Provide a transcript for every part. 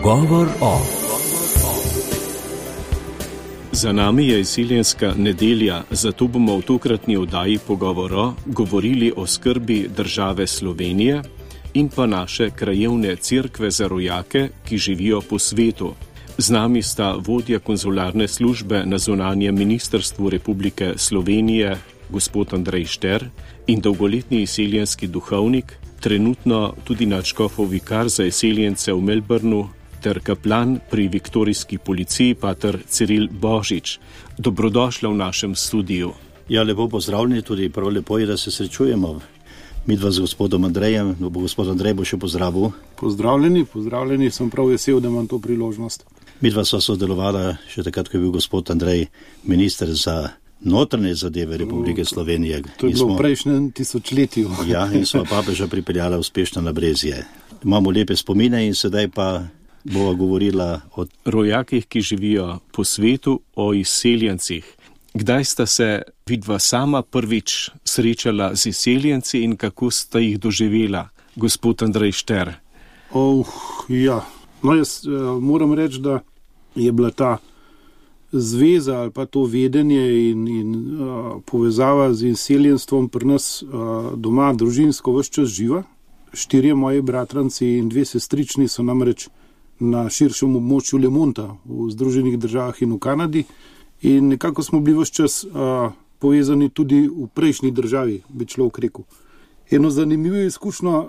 Pogovor o. Za nami je izsiljenska nedelja, zato bomo v tokratni oddaji Pogovor govorili o skrbi države Slovenije in pa naše krajevne cerkve za rojake, ki živijo po svetu. Z nami sta vodja konzularne službe na zunanjem ministrstvu Republike Slovenije, gospod Andrej Šter, in dolgoletni izsiljenski duhovnik, trenutno tudi nadškofov vikar za izsiljence v Melbourneu, ter kaplan pri viktorijski policiji, pater Ciril Božič. Dobrodošla v našem studiu. Ja, lepo pozdravljeni, tudi prav lepo je, da se srečujemo. Midva z gospodom Andrejem, gospod Andrej bo še pozdravil. Pozdravljeni, sem prav vesel, da imam to priložnost. Midva sva sodelovala še takrat, ko je bil gospod Andrej minister za notranje zadeve Republike Slovenije. To je bilo v prejšnjem tisočletju. Ja, in sva papeža pripeljala uspešno na Brezje. Imamo lepe spomine in sedaj pa bova govorila o rojakih, ki živijo po svetu, o izseljencih. Kdaj sta se vidva sama prvič srečala z izseljenci in kako sta jih doživela, gospod Andrej Šter? Ja. No, jaz moram reči, da je bila ta zveza ali pa to vedenje in povezava z izseljenstvom pri nas doma družinsko ves čas živa. 4 moji bratranci in 2 sestrični so namreč na širšem območju Le Monta v Združenih državah in v Kanadi in nekako smo bili ves čas povezani tudi v prejšnji državi, bi človek rekel. Eno zanimivo izkušnjo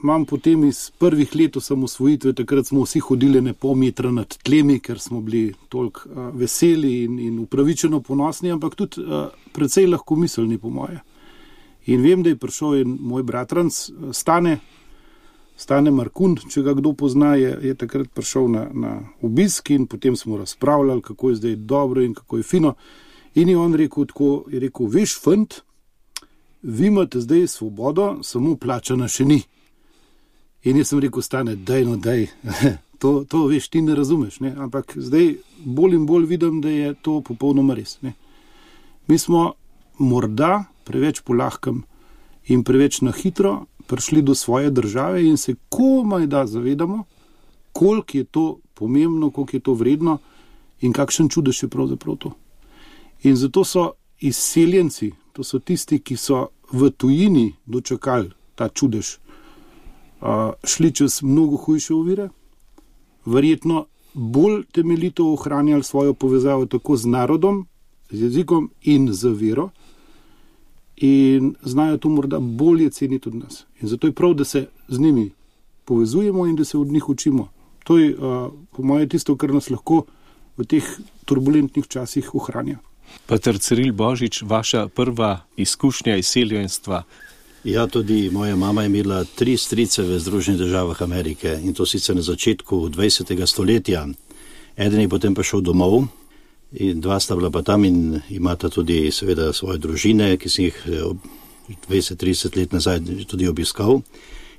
imam potem iz prvih let osamosvojitve, takrat smo vsi hodili ne pol metra nad tlemi, ker smo bili toliko veseli in upravičeno ponosni, ampak tudi precej lahkomiselni po moje. In vem, da je prišel en moj bratranc Stane Markund, če ga kdo pozna, je takrat prišel na obisk in potem smo razpravljali, kako je zdaj dobro in kako je fino. In je on rekel tako, veš, fant, vi imate zdaj svobodo, samo plačana še ni. In jaz sem rekel, Stane, daj, to veš, ti ne razumeš, ne? Ampak zdaj bolj in bolj vidim, da je to popolnoma res. Ne? Mi smo morda preveč polahkem in preveč na hitro prišli do svoje države in se komaj da zavedamo, koliko je to pomembno, koliko je to vredno in kakšen čudež je pravzaprav to. In zato so izseljenci, to so tisti, ki so v tujini dočakali ta čudež, šli čez mnogo hujše ovire, verjetno bolj temeljito ohranjali svojo povezavo tako z narodom, z jezikom in z vero, in znajo to morda bolje ceniti od nas. In zato je prav, da se z njimi povezujemo in da se od njih učimo. To je po moje tisto, kar nas lahko v teh turbulentnih časih ohranja. Pater Ciril Božič, vaša prva izkušnja izseljenstva? Ja, tudi moja mama je imela 3 strice v Združenih državah Amerike in to sicer na začetku 20. stoletja. Eden je potem pa šel domov in 2 sta bila pa tam in imata tudi seveda svoje družine, ki sem jih 20-30 let nazaj tudi obiskal.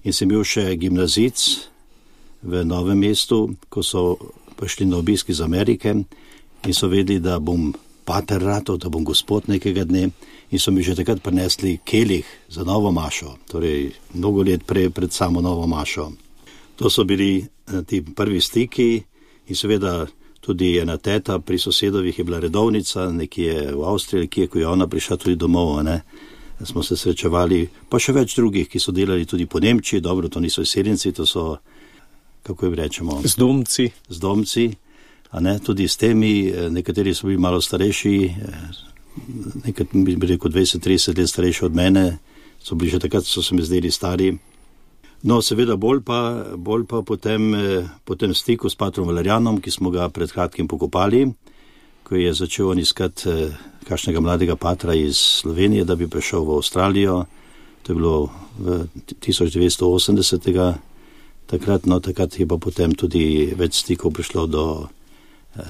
In sem bil še gimnazic v Novem mestu, ko so prišli na obisk iz Amerike in so vedeli, da bom pater ratov, da bom gospod nekega dne in so mi že takrat prinesli kelih za novo mašo, torej mnogo let pred samo novo mašo. To so bili ti prvi stiki in seveda tudi ena teta pri sosedovih je bila redovnica, nekje v Avstriji, ko je ona prišla tudi domov, ne. Smo se srečevali, pa še več drugih, ki so delali tudi po Nemčiji, dobro, to niso izseljenci, to so, kako jim rečemo? Zdomci, a ne, tudi s temi, nekateri so bili malo starejši, nekateri bi rekel 20-30 let starejši od mene, so bili že takrat, so se mi zdeli stari. No, seveda bolj pa potem stiku s patrom Valerijanom, ki smo ga pred kratkim pokopali, ko je začel on iskati kakšnega mladega patra iz Slovenije, da bi prišel v Avstralijo. To je bilo v 1980. Takrat je pa potem tudi več stikov prišlo do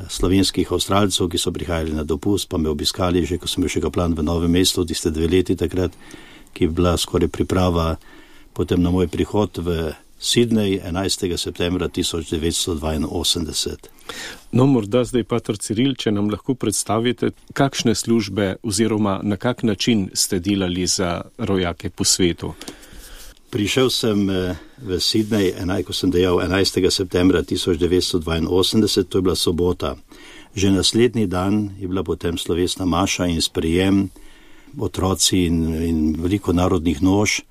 slovenskih Avstralcev, ki so prihajali na dopust, pa me obiskali, že ko sem bil še kaplan v Novem mestu, tiste 2 leti takrat, ki je bila skoraj priprava potem na moj prihod v Sydney 11. septembra 1982. No, morda zdaj, pater Ciril, če nam lahko predstavite, kakšne službe oziroma na kak način ste delali za rojake po svetu? Prišel sem v Sydney, ko sem dejal 11. septembra 1982, to je bila sobota. Že naslednji dan je bila potem slovesna maša in sprejem, otroci in veliko narodnih nož.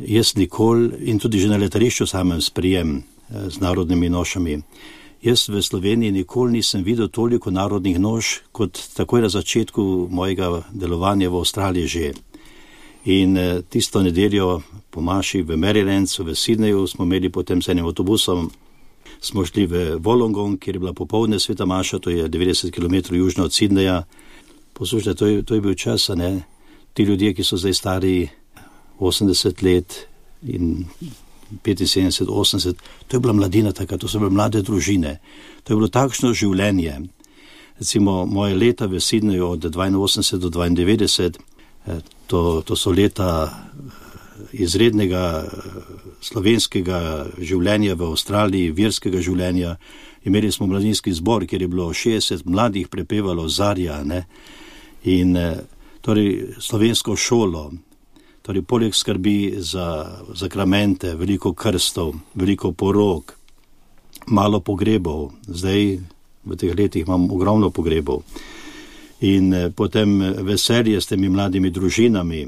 Jaz nikoli, in tudi že na letališču samem sprejem z narodnimi nošami, jaz v Sloveniji nikoli nisem videl toliko narodnih nož, kot takoj na začetku mojega delovanja v Avstraliji že. In tisto nedeljo po maši v Marylandu, v Sydneyju, smo imeli potem z enim avtobusom, smo šli v Wollongong, kjer je bila popoldne sveta maša, to je 90 km južno od Sydneyja. Poslušajte, to je bil čas, ne? Ti ljudje, ki so zdaj stari 80 let in 75, 80, to je bila mladina taka, to so bile mlade družine. To je bilo takšno življenje. Recimo, moje leta v Sydneyju od 82 do 92, to so leta izrednega slovenskega življenja v Avstraliji, verskega življenja. Imeli smo mladinski zbor, kjer je bilo 60 mladih prepevalo Zarja, ne? In torej slovensko šolo, torej poleg skrbi za zakramente, veliko krstov, veliko porok, malo pogrebov, zdaj v teh letih imam ogromno pogrebov. In potem veselje s temi mladimi družinami,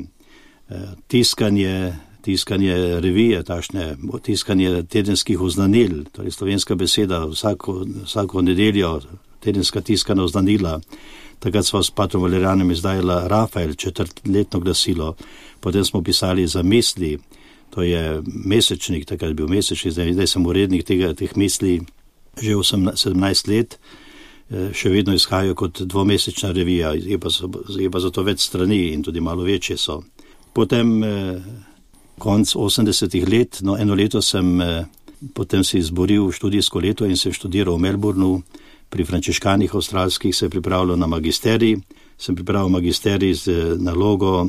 tiskanje revije, tiskanje tedenskih oznanil, torej slovenska beseda, vsako nedeljo tedenska tiskana oznanila. Takrat smo s patrom Valerijanom izdajala Rafael, 4-letno glasilo, potem smo pisali za misli, to je mesečnik, takrat je bil mesečnik, zdaj sem urednik teh misli že 17 let, še vedno izhajajo kot dvomesečna revija, je pa zato več strani in tudi malo večje so. Potem konc 80-ih let, eno leto sem potem si izboril študijsko leto in sem študiral v Melbourneu, pri frančiškanih avstralskih se je pripravljal na magisterij, sem pripravil magisterij z nalogo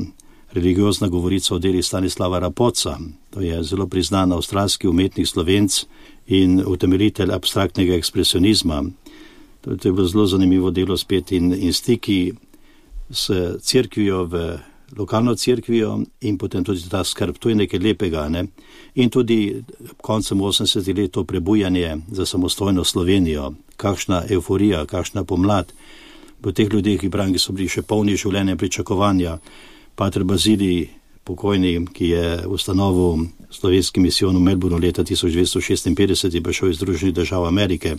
religiozna govorica o deli Stanislava Rapoca, to je zelo priznan avstralski umetnik Slovenc in utemeljitelj abstraktnega ekspresionizma. To je bilo zelo zanimivo delo spet in stiki s cerkvijo, lokalno cerkvijo in potem tudi ta skrb, to je nekaj lepega, ne? In tudi koncem 80 let to prebujanje za samostojno Slovenijo, kakšna euforija, kakšna pomlad v teh ljudeh, ki pravim, ki so bili še polni življenja in pričakovanja. Pater Bazilij, pokojni, ki je ustanovil slovenski misijon v Melbourneu leta 1956, je prišel iz Združenih držav Amerike.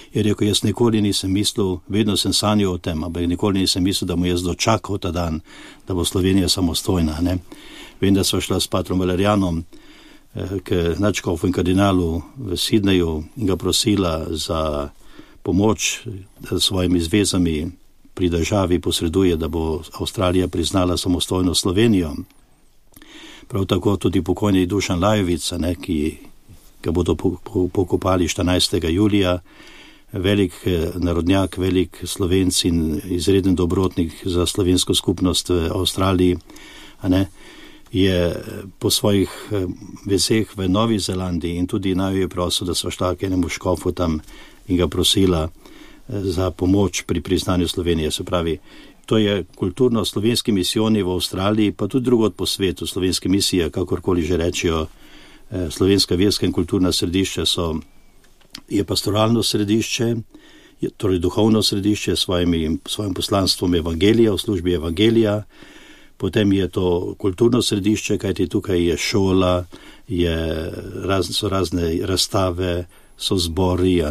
Je rekel, jaz nikoli nisem mislil, vedno sem sanjal o tem, ampak nikoli nisem mislil, da mu jaz dočakal ta dan, da bo Slovenija samostojna, ne. Vem, da sva šla s patrom Valerijanom k nadškofu in kardinalu v Sydneyju in ga prosila za pomoč s svojimi zvezami pri državi posreduje, da bo Avstralija priznala samostojno Slovenijo. Prav tako tudi pokojni Dušan Lajovica, ne, ki ga bodo pokopali 14. julija, velik narodnjak, velik Slovenc in izreden dobrotnik za slovensko skupnost v Avstraliji, ne, je po svojih vezeh v Novi Zelandiji in tudi naj je prosil, da so šla k enemu škofu tam in ga prosila za pomoč pri priznanju Slovenije. Se pravi, to je kulturno slovenski misijoni v Avstraliji, pa tudi drugod po svetu, slovenske misije, kakorkoli že rečijo, slovenska verska in kulturna središča je pastoralno središče, torej duhovno središče s svojim poslanstvom evangelija, v službi evangelija, potem je to kulturno središče, kajti tukaj je šola, so razne razstave, so zbori,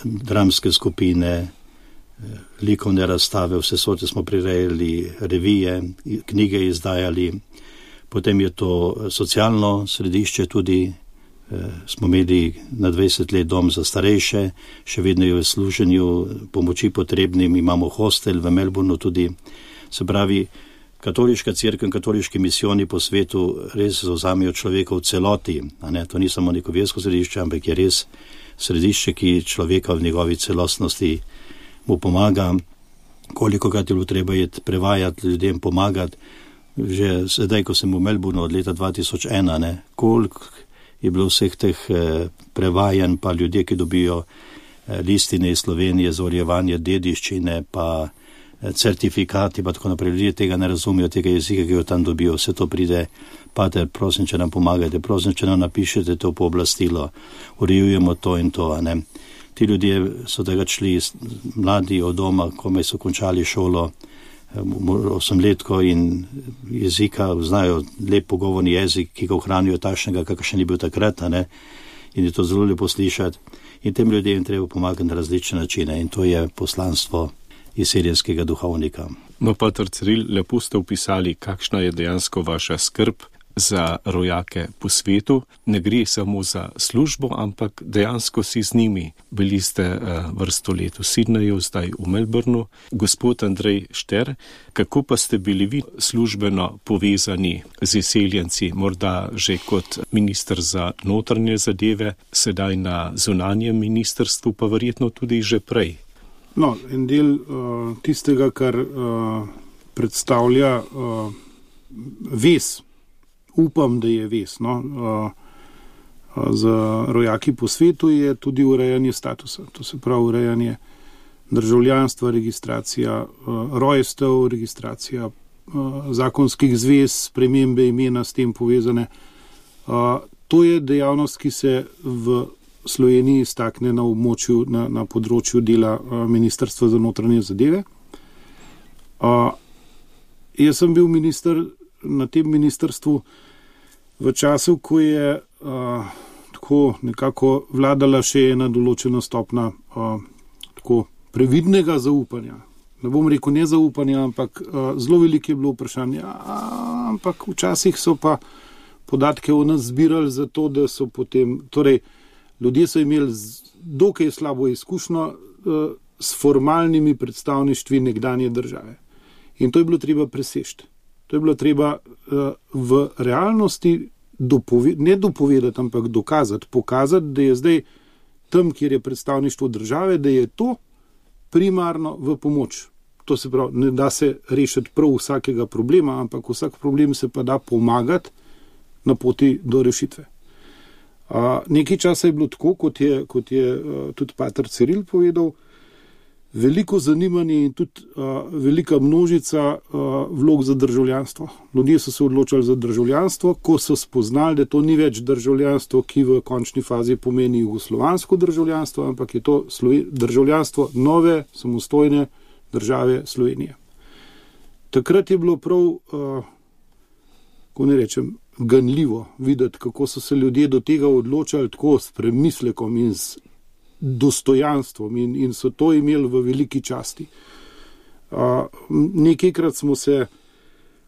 dramske skupine, likovne razstave, vse sorte smo prirejali, revije, knjige izdajali, potem je to socialno središče tudi, smo imeli na 20 let dom za starejše, še vedno je v služenju pomoči potrebnim, imamo hostel v Melbourneu tudi. Se pravi, katoliška cerkev in katoliški misijoni po svetu res zavzamejo človeka v celoti. To ni samo neko versko središče, ampak je res središče, ki človeka v njegovi celostnosti mu pomaga. Kolikokrat je bilo treba prevajati ljudem, pomagati. Že sedaj, ko sem v Melbourneu od leta 2001, koliko je bilo vseh teh prevajanj, pa ljudje, ki dobijo listine iz Slovenije za urejevanje dediščine, pa certifikati, pa tako naprej. Ljudje tega ne razumejo, tega jezika, ki jo tam dobijo. Vse to pride, pater, prosim, če nam pomagajte, prosim, če nam napišete to pooblastilo, urejujemo to in to, a ne. Ti ljudje so tega šli mladi od doma, komaj so končali šolo, 8-letko in jezika, znajo lep pogovorni jezik, ki ga ohranijo takšnega, kakšen ni bil takrat, a ne. In je to zelo lepo slišati. In tem ljudem treba pomagati na različne načine in to je poslanstvo izseljenskega duhovnika. No, pater Ciril, lepo ste opisali, kakšna je dejansko vaša skrb za rojake po svetu. Ne gre samo za službo, ampak dejansko si z njimi. Bili ste vrsto let v Sydneyju, zdaj v Melbourneu. Gospod Andrej Šter, kako pa ste bili vi službeno povezani z izseljenci, morda že kot minister za notranje zadeve, sedaj na zunanjem ministrstvu, pa verjetno tudi že prej? No, en del tistega, kar predstavlja vez, upam, da je vez, za rojaki po svetu je tudi urejanje statusa. To se pravi urejanje državljanstva, registracija rojstev, registracija zakonskih zvez, spremembe imena s tem povezane. To je dejavnost, ki se v Sloveniji stakne na območju, na področju dela Ministrstva za notranje zadeve. Jaz sem bil minister na tem ministrstvu v času, ko je tako nekako vladala še ena določena stopna tako previdnega zaupanja. Ne bom rekel nezaupanja, ampak zelo veliko je bilo vprašanje, ampak včasih so pa podatke o nas zbirali zato, da so potem, torej ljudje so imeli dokaj slabo izkušnjo s formalnimi predstavništvi nekdanje države. In to je bilo treba preseči. To je bilo treba v realnosti ne dopovedati, ampak dokazati, pokazati, da je zdaj tam, kjer je predstavništvo države, da je to primarno v pomoč. To se pravi, ne da se rešiti prav vsakega problema, ampak vsak problem se pa da pomagati na poti do rešitve. Nekaj časa je bilo tako, kot je tudi pater Ciril povedal, veliko zanimanje in tudi velika množica vlog za državljanstvo. Ljudje so se odločali za državljanstvo, ko so spoznali, da to ni več državljanstvo, ki v končni fazi pomeni jugoslovansko državljanstvo, ampak je to državljanstvo nove, samostojne države Slovenije. Takrat je bilo prav, ko ne rečem, ganljivo videti, kako so se ljudje do tega odločali tako s premislekom in s dostojanstvom in so to imeli v veliki časti. Nekajkrat smo se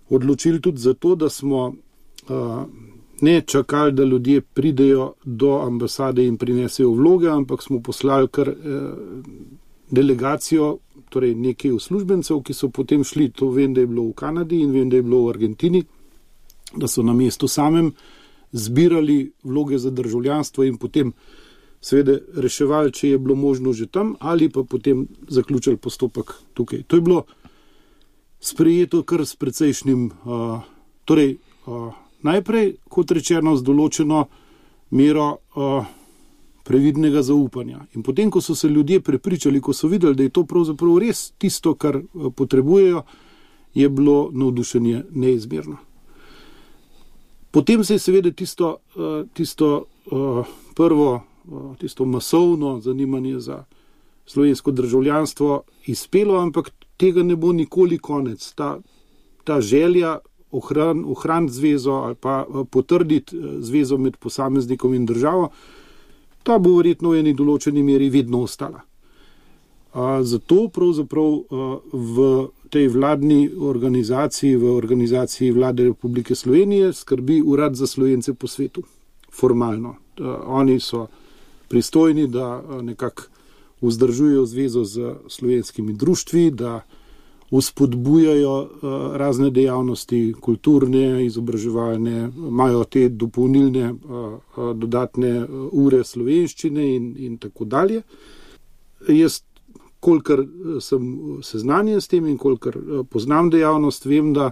odločili tudi zato, da smo ne čakali, da ljudje pridejo do ambasade in prinesejo vloge, ampak smo poslali kar delegacijo, torej nekaj uslužbencev, ki so potem šli, to vem, da je bilo v Kanadi in vem, da je bilo v Argentini, da so na mestu samem zbirali vloge za državljanstvo in potem seveda reševali, če je bilo možno že tam, ali pa potem zaključili postopek tukaj. To je bilo sprejeto kar s precejšnjim, najprej, kot rečeno, z določeno mero previdnega zaupanja. In potem, ko so se ljudje prepričali, ko so videli, da je to pravzaprav res tisto, kar potrebujejo, je bilo navdušenje neizmerno. Potem se je seveda tisto prvo, tisto masovno zanimanje za slovensko državljanstvo izpelo, ampak tega ne bo nikoli konec. Ta želja ohraniti zvezo ali pa potrditi zvezo med posameznikom in državo, ta bo verjetno v eni določeni meri vedno ostala. Zato pravzaprav v tej vladni organizaciji, v organizaciji Vlade Republike Slovenije skrbi Urad za Slovence po svetu, formalno. Oni so pristojni, da nekako vzdržujejo zvezo z slovenskimi društvi, da vzpodbujajo razne dejavnosti, kulturne, izobraževalne, imajo te dopolnilne dodatne ure slovenščine in tako dalje. Jaz, kolikor sem seznanjen s tem in kolikor poznam dejavnost, vem, da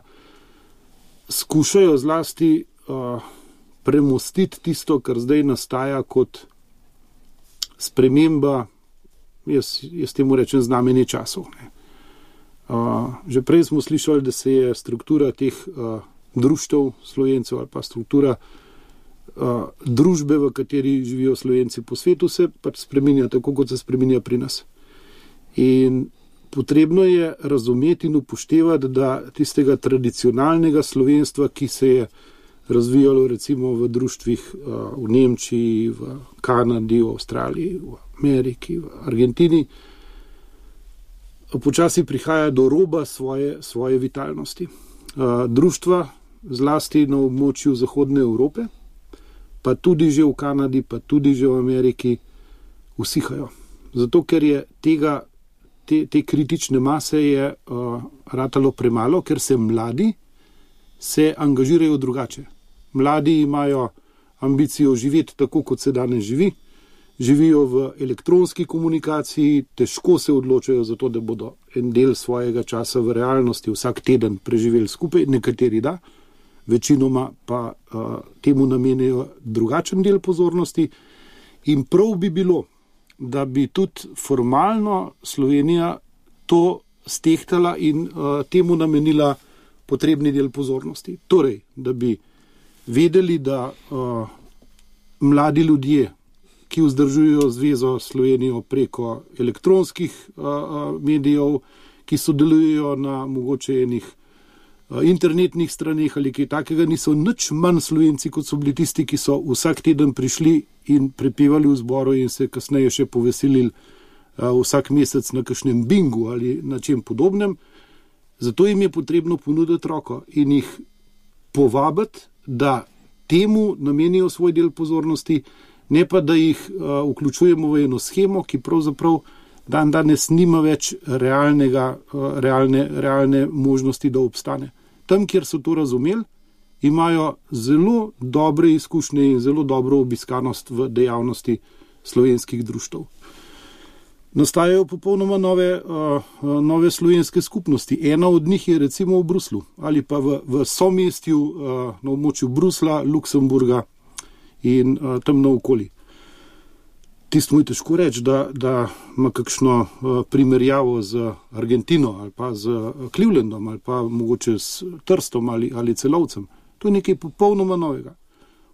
skušajo zlasti premostiti tisto, kar zdaj nastaja kot sprememba, jaz temu rečem, znamenje časov. Že prej smo slišali, da se je struktura teh društev Slovencev ali pa struktura družbe, v kateri živijo Slovenci po svetu, se pač spreminja tako, kot se spreminja pri nas. In potrebno je razumeti in upoštevati, da tistega tradicionalnega slovenstva, ki se je razvijalo recimo v društvih v Nemčiji, v Kanadi, v Avstraliji, v Ameriki, v Argentini, počasi prihaja do roba svoje vitalnosti. Društva, zlasti na območju Zahodne Evrope, pa tudi že v Kanadi, pa tudi že v Ameriki, usihajo. Zato, ker je te kritične mase je ratalo premalo, ker se mladi angažirajo drugače. Mladi imajo ambicijo živeti tako, kot se danes živi, živijo v elektronski komunikaciji, težko se odločajo za to, da bodo en del svojega časa v realnosti vsak teden preživeli skupaj, nekateri da, večinoma pa temu namenijo drugačen del pozornosti in prav bi bilo, da bi tudi formalno Slovenija to stehtala in temu namenila potrebni del pozornosti. Torej, da bi vedeli, da mladi ljudje, ki vzdržujejo zvezo Slovenijo preko elektronskih medijev, ki sodelujejo na mogoče enih internetnih straneh ali kaj takega, niso nič manj Slovenci, kot so bili tisti, ki so vsak teden prišli in prepevali v zboru in se kasneje še poveselili vsak mesec na kakšnem bingu ali na čem podobnem. Zato jim je potrebno ponuditi roko in jih povabiti, da temu namenijo svoj del pozornosti, ne pa da jih vključujemo v eno shemo, ki pravzaprav danes nima več realne možnosti, da obstane. Tam, kjer so to razumeli, imajo zelo dobre izkušnje in zelo dobro obiskanost v dejavnosti slovenskih društev. Nastajajo popolnoma nove slovenske skupnosti. Ena od njih je recimo v Bruslu ali pa v somestju na območju Brusla, Luksemburga in tam naokoli. Tisto mu je težko reči, da ima kakšno primerjavo z Argentino ali pa z Clevelandom ali pa mogoče s Trstom ali Celovcem. To je nekaj popolnoma novega.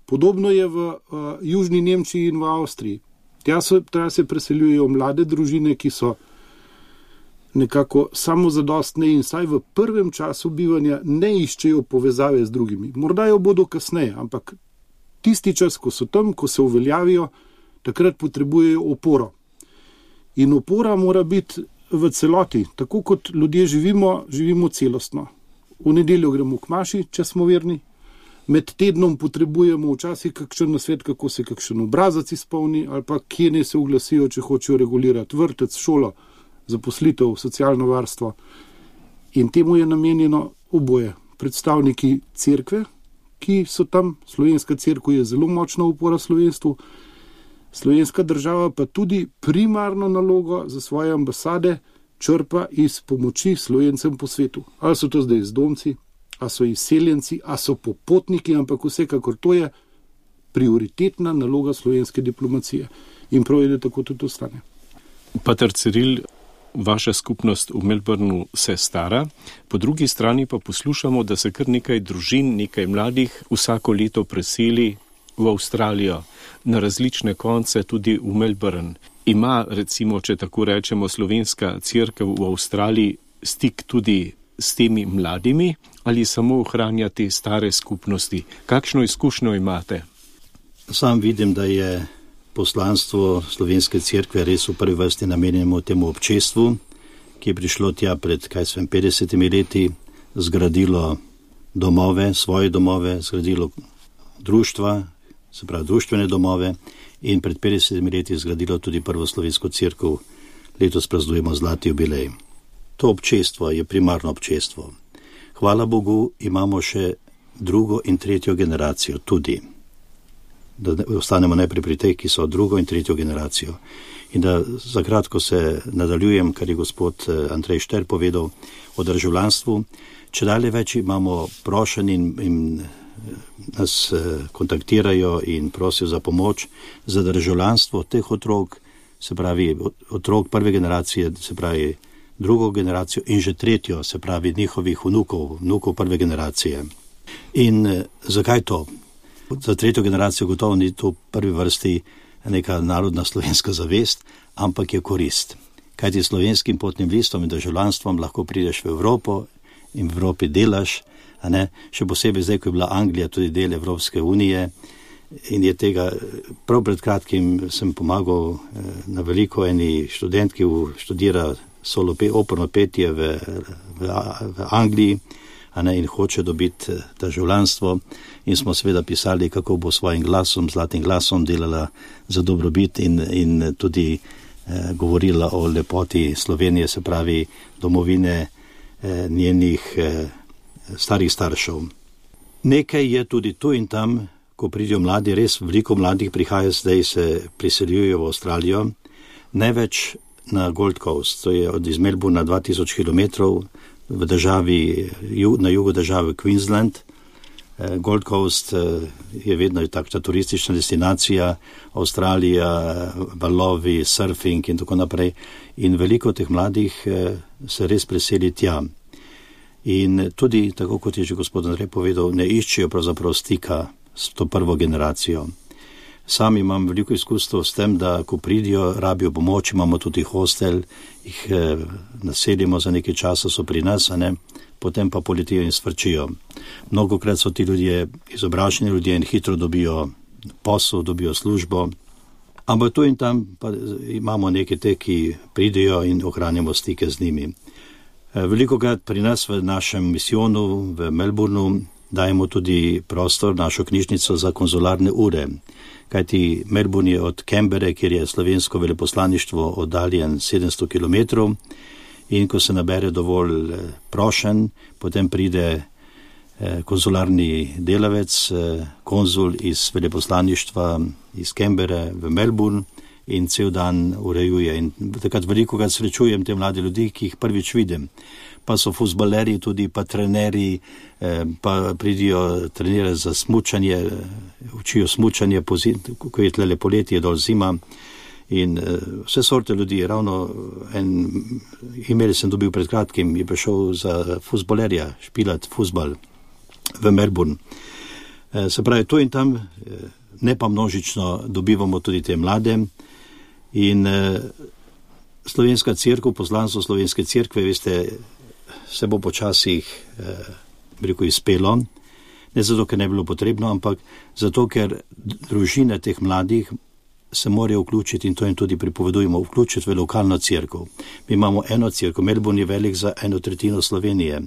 Podobno je v Južni Nemčiji in v Avstriji. Tja se preseljujejo mlade družine, ki so nekako samozadostne in saj v prvem času bivanja ne iščejo povezave z drugimi. Morda jo bodo kasneje, ampak tisti čas, ko so tam, ko se uveljavijo, takrat potrebujejo oporo. In opora mora biti v celoti. Tako kot ljudje živimo celostno. V nedeljo gremo k maši, če smo verni. Med tednom potrebujemo včasih kakšen nasvet, kako se kakšen obrazac izpolni, ali pa kje ne se oglasijo, če hočejo regulirati vrtec, šolo, zaposlitev, socialno varstvo. In temu je namenjeno oboje. Predstavniki cerkve, ki so tam, slovenska cerkev je zelo močna opora slovenstvu, slovenska država pa tudi primarno nalogo za svoje ambasade črpa iz pomoči Slovencem po svetu. Ali so to zdaj zdomci, ali so izseljenci, ali so popotniki, ampak vsekakor to je prioritetna naloga slovenske diplomacije. In prav je, da tako tudi ostane. Pater Ciril, vaša skupnost v Melbourneu se stara, po drugi strani pa poslušamo, da se kar nekaj družin, nekaj mladih vsako leto preseli v Avstralijo, na različne konce tudi v Melbourne. Ima, recimo, če tako rečemo, slovenska cerkev v Avstraliji stik tudi s temi mladimi ali samo ohranja te stare skupnosti? Kakšno izkušnjo imate? Sam vidim, da je poslanstvo slovenske cerkve res v prvi vrsti namenjeno temu občestvu, ki je prišlo tja pred 50 leti, zgradilo domove, svoje domove, zgradilo društva, se pravi društvene domove in pred 50 leti zgradilo tudi prvo slovensko cerkev. Letos praznujemo zlati jubilej. To občestvo je primarno občestvo. Hvala Bogu, imamo še drugo in tretjo generacijo tudi. Da ostanemo najprej pri tej, ki so drugo in tretjo generacijo. In da za kratko se nadaljujem, kar je gospod Andrej Šter povedal o državljanstvu. Če dalje več imamo prošenj in nas kontaktirajo in prosijo za pomoč za državljanstvo teh otrok, se pravi otrok prve generacije, se pravi drugo generacijo in že tretjo, se pravi njihovih vnukov prve generacije. In zakaj to? Za tretjo generacijo gotovo ni to v prvi vrsti neka narodna slovenska zavest, ampak je korist. Kajti slovenskim potnim listom in državljanstvom lahko prideš v Evropo in v Evropi delaš, a ne? Še posebej zdaj, ko je bila Anglija tudi del Evropske unije in je tega, prav pred kratkim sem pomagal na veliko eni študentki, ki študira operno petje v Angliji, a ne, in hoče dobiti državljanstvo, in smo seveda pisali, kako bo svojim glasom, zlatim glasom delala za dobrobit in tudi govorila o lepoti Slovenije, se pravi domovine njenih starih staršev. Nekaj je tudi tu in tam, ko pridijo mladi, res veliko mladih prihaja zdaj, se priseljujejo v Avstralijo, največ na Gold Coast, to je iz Melbourna 2000 km v državi, na jugu države Queensland. Gold Coast je vedno takšna turistična destinacija, Avstralija, valovi, surfing in tako naprej. In veliko teh mladih se res preseli tja. In tudi, tako kot je že gospod Andrej povedal, ne iščejo pravzaprav stika s to prvo generacijo. Sam imam veliko izkustvo s tem, da ko pridijo, rabijo pomoč, imamo tudi hostel, jih naselimo za nekaj časa, so pri nas, a ne, potem pa poletijo in svrčijo. Mnogokrat so ti ljudje izobraženi ljudje in hitro dobijo posel, dobijo službo, ampak tu in tam pa imamo neke te, ki pridijo in ohranimo stike z njimi. Velikokrat pri nas v našem misijonu v Melbournu dajemo tudi prostor, našo knjižnico za konzularne ure, kajti Melbourne je od Canberre, kjer je slovensko veleposlaništvo, oddaljen 700 km, in ko se nabere dovolj prošenj, potem pride konzularni delavec, konzul iz veleposlaništva iz Canberre v Melbourne in cel dan urejuje. In takrat velikokrat srečujem te mlade ljudi, ki jih prvič vidim. Pa so fuzbaleri tudi, pa trenerji, pa pridijo trenirati za smučanje, učijo smučanje, ko je tlele poletje, dol zima. In vse sorte ljudi, ravno email sem dobil pred kratkim, je prišel za fuzbalerja, špilat fuzbal v Melbourne. Se pravi, tu in tam, ne pa množično, dobivamo tudi te mlade. In slovenska cerkev, poslanstvo slovenske cerkve, veste, se bo počasih izpelo, ne zato, ker ne bilo potrebno, ampak zato, ker družine teh mladih se morajo vključiti, in to jim tudi pripovedujemo, vključiti v lokalno cerkev. Mi imamo eno cerkev, Melbourne je velik za 1/3 Slovenije.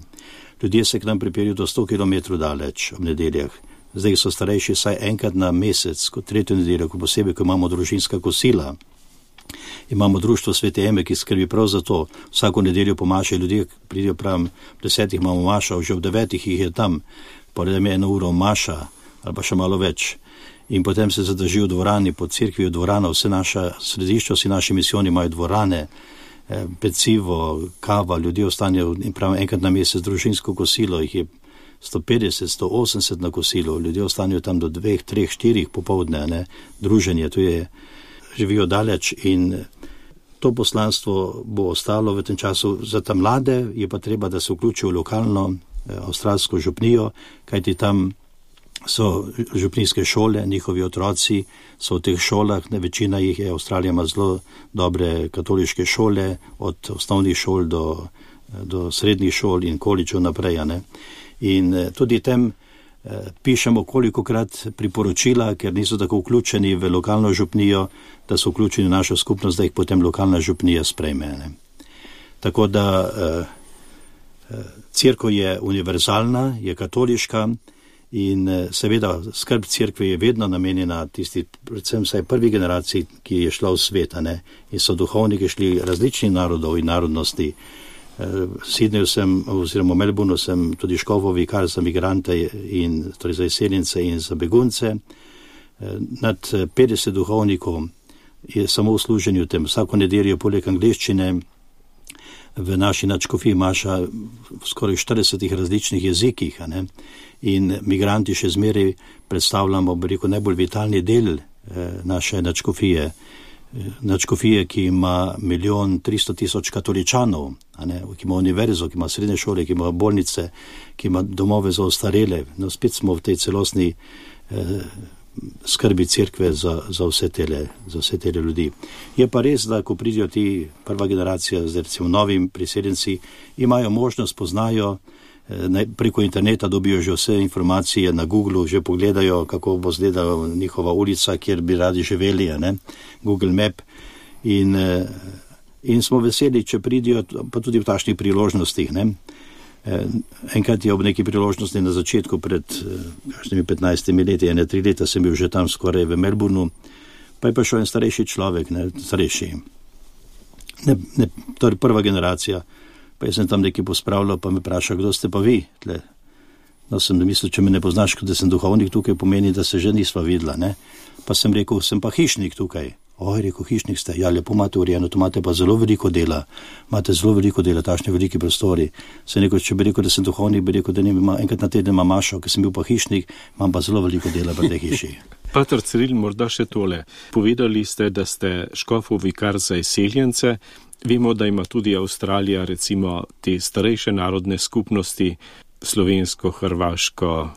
Ljudje se k nam pripeljejo do 100 km daleč ob nedeljah. Zdaj so starejši saj enkrat na mesec, kot tretjo nedeljo, posebej, ko imamo družinska kosila. Imamo društvo Svete Eme, ki skrbi prav za to. Vsako nedeljo pomašajo ljudje, pridijo pravim, 10 imamo maša, že ob 9 jih je tam, poredem je 1 uro maša, ali pa še malo več. In potem se zadržijo v dvorani, po cerkvi v dvorano, vse naša središča, vsi naši misijoni imajo dvorane, pecivo, kava, ljudje ostanejo in pravim enkrat na mesec družinsko kosilo, jih je 150, 180 na kosilo, ljudje ostanejo tam do 2, 3, 4 popoldne, ne, druženje, to je, živijo daleč in to poslanstvo bo ostalo v tem času. Za ta mlade je pa treba, da se vključijo v lokalno avstralsko župnijo, kajti tam so župnijske šole, njihovi otroci so v teh šolah, večina jih je, Avstralija ima zelo dobre katoliške šole, od osnovnih šol do srednjih šol in kolidžev naprej. Ne? In tudi tem pišemo kolikokrat priporočila, ker niso tako vključeni v lokalno župnijo, da so vključeni v našo skupnost, da jih potem lokalna župnija sprejme. Ne? Tako da cerkev je univerzalna, je katoliška in seveda skrb cerkve je vedno namenjena tisti, predvsem vsaj prvi generaciji, ki je šla v svet, ne? In so duhovniki šli različnih narodov in narodnosti. V Sydneyju sem, oziroma v Melbourneu sem tudi škofov vikar za migrante in torej za izseljence in za begunce. Nad 50 duhovnikov je samo v služenju tem. Vsako nedeljo poleg angleščine v naši nadškofiji maša v skoraj 40 različnih jezikih, ne? In migranti še zmeraj predstavljamo, najbolj vitalni del naše nadškofije. nadškofije, ki ima 1.300.000 katoličanov, ki ima univerzo, ki ima srednje šole, ki ima bolnice, ki ima domove za ostarele. No, spet smo v tej celostni skrbi cerkve za vse tele ljudi. Je pa res, da ko pridijo ti prva generacija, zdaj recimo novim priseljenci, imajo možnost, poznajo, preko interneta dobijo že vse informacije, na Googlu že pogledajo, kako bo izgledala njihova ulica, kjer bi radi živeli, Google Map. In smo veseli, če pridijo, pa tudi v takšnih priložnostih. Enkrat je ob neki priložnosti na začetku pred 15 leti, 3 leta sem bil že tam skoraj v Melbourneu, pa je prišel en starejši človek, starejši. To je prva generacija. Pa jaz sem tam nekaj pospravljal, pa me vprašal, kdo ste pa vi? No, sem mislil, če me ne poznaš, da sem duhovnik tukaj, pomeni, da se že nisva videla. Pa sem rekel, sem pa hišnik tukaj. Rekel, hišnik ste, ja, lepo imate urejeno, to imate pa zelo veliko dela, takšne veliki prostori. Sem rekel, če bi rekel, da sem duhovnik, bi rekel, da enkrat na teden imam mašo, ker sem bil pa hišnik, imam pa zelo veliko dela pri tej hiši. Pater Ciril, morda še tole. Povedali ste, da ste škofov vikar za izseljence. Vemo, da ima tudi Avstralija recimo te starejše narodne skupnosti, slovensko, hrvaško,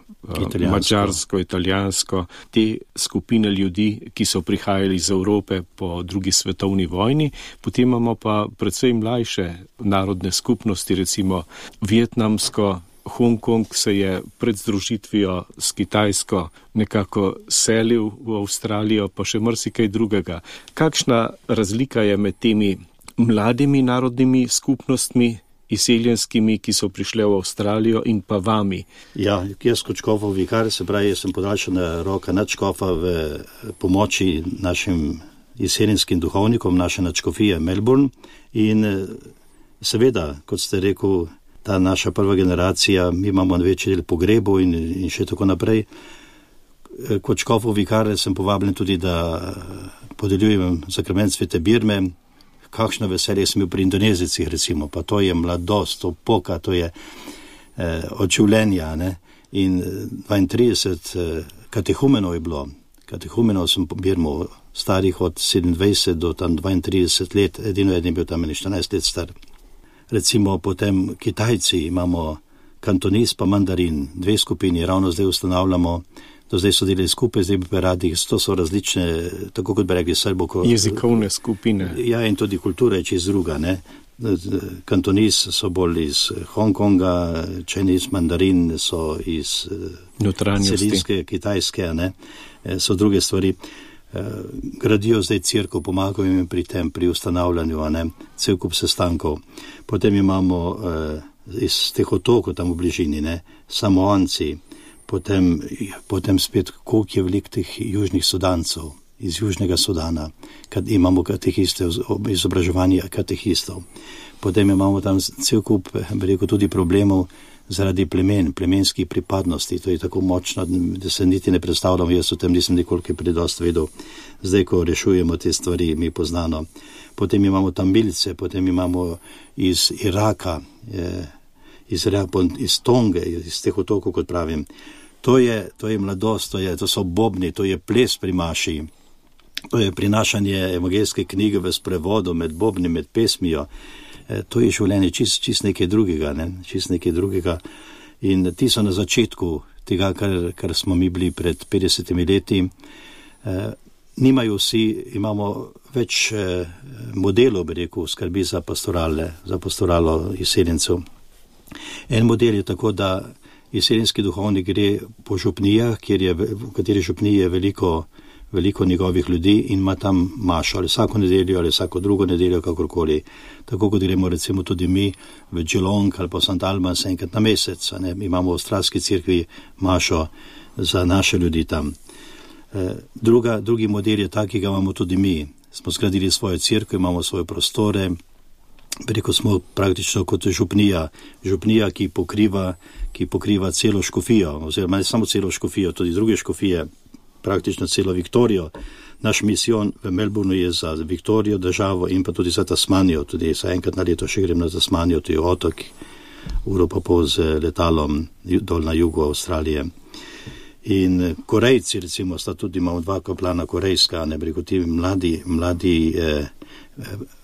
mačarsko, italijansko, te skupine ljudi, ki so prihajali iz Evrope po drugi svetovni vojni. Potem imamo pa predvsej mlajše narodne skupnosti, recimo vietnamsko. Hongkong se je pred združitvijo s Kitajsko nekako selil v Avstralijo, pa še marsikaj drugega. Kakšna razlika je med temi mladimi narodnimi skupnostmi, izseljenskimi, ki so prišle v Avstralijo, in pa vami? Ja, jaz kot škofov vikar, se pravi, jaz sem podaljšana roka nadškofa v pomoči našim izseljenskim duhovnikom, naše nadškofije Melbourne. In seveda, kot ste rekel, ta naša prva generacija, mi imamo večji del pogrebov in še tako naprej. Kot škofov vikar sem povabljen tudi, da podeljujem sakrament svete birme. Kakšno veselje sem bil pri Indonezicih, recimo, pa to je mladost, opoka, to je od življenja. In 32 katehumenov je bilo. Katehumenov sem pobirmal, starih od 27 do tam 32 let, edino je bil tam 14 let star. Recimo potem Kitajci, imamo kantonis pa mandarin, 2 skupini, ravno zdaj ustanavljamo. Do zdaj so delali skupaj, zdaj bi pa radi, to so različne, tako kot bi rekli srbo. Jezikovne skupine. Ja, in tudi kultura je čez druga. Kantonis so bolj iz Hongkonga, Chinese mandarin so iz celinske, kitajske, so druge stvari. Gradijo zdaj cerkev, pomagajo jim pri tem, pri ustanavljanju, cel kup sestankov. Potem imamo iz teh otokov tam v bližini, Samoanci. Potem spet, koliko je velik teh južnih Sudancov, iz Južnega Sudana, kad imamo katehiste, izobraževanje katehistov. Potem imamo tam cel kup, tudi problemov zaradi plemenskih pripadnosti. To je tako močno, da se niti ne predstavljam, jaz o tem nisem nekoliko predost vedel. Zdaj, ko rešujemo te stvari, mi poznano. Potem imamo Tamilce, potem imamo iz Iraka, iz Tonge, iz teh otokov, kot pravim. To je mladost, to so bobni, to je ples pri maši, to je prinašanje evangeljske knjige v sprevodu med bobni, med pesmijo. To je življenje čist nekaj drugega. In ti so na začetku tega, kar smo mi bili pred 50 leti. Nimajo vsi, imamo več modelov, bi rekel, skrbi za pastoralo izseljencev. En model je tako, da izseljenski duhovnik gre po župnijah, v kateri župniji je veliko njegovih ljudi in ima tam mašo, ali vsako nedeljo, ali vsako drugo nedeljo, kakorkoli. Tako kot gremo recimo tudi mi v Geelong ali pa St. Albans enkrat na mesec. Imamo v avstralski cerkvi mašo za naše ljudi tam. Drugi model je tak, ki ga imamo tudi mi. Smo zgradili svojo cerkev, imamo svoje prostore. Preko smo praktično kot župnija, ki pokriva celo škofijo, oziroma ne samo celo škofijo, tudi druge škofije, praktično celo Viktorijo. Naš misijon v Melbourneu je za Viktorijo državo in pa tudi za Tasmanijo. Tudi za enkrat na leto še grem na Tasmanijo, to je otok, uro pa pol z letalom dol na jugu Avstralije. In Korejci, recimo, sta tudi, imamo 2 kaplana korejska, ne bi rekel, ti mladi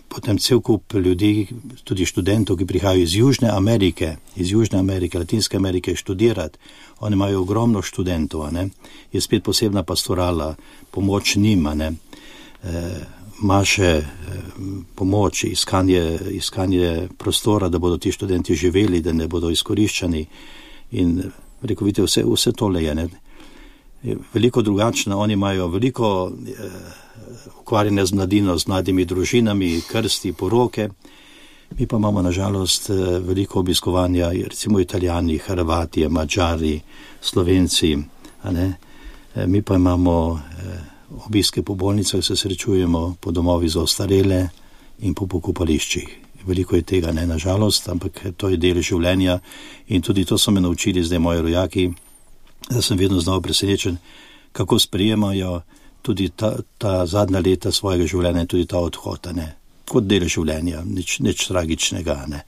potem cel kup ljudi, tudi študentov, ki prihajajo iz Južne Amerike, Latinske Amerike študirati. Oni imajo ogromno študentov, ne. Je spet posebna pastorala, pomoč njima, ne. Maše, pomoč, iskanje prostora, da bodo ti študenti živeli, da ne bodo izkoriščani. In rekel, vidite, vse tole je, ne. Veliko drugačno, oni imajo veliko ukvarjene z mladino, z mladimi družinami, krsti, poroke. Mi pa imamo nažalost veliko obiskovanja, recimo Italijani, Hrvati, Mađari, Slovenci, a ne. Mi pa imamo obiske po bolnicah, se srečujemo po domovi za ostarele in po pokopališčih. Veliko je tega, ne, nažalost, ampak to je del življenja in tudi to so me naučili zdaj moji rojaki, da sem vedno znal presenečen, kako sprejemajo tudi ta zadnja leta svojega življenja in tudi ta odhod, ne, kot del življenja, nič tragičnega, ne.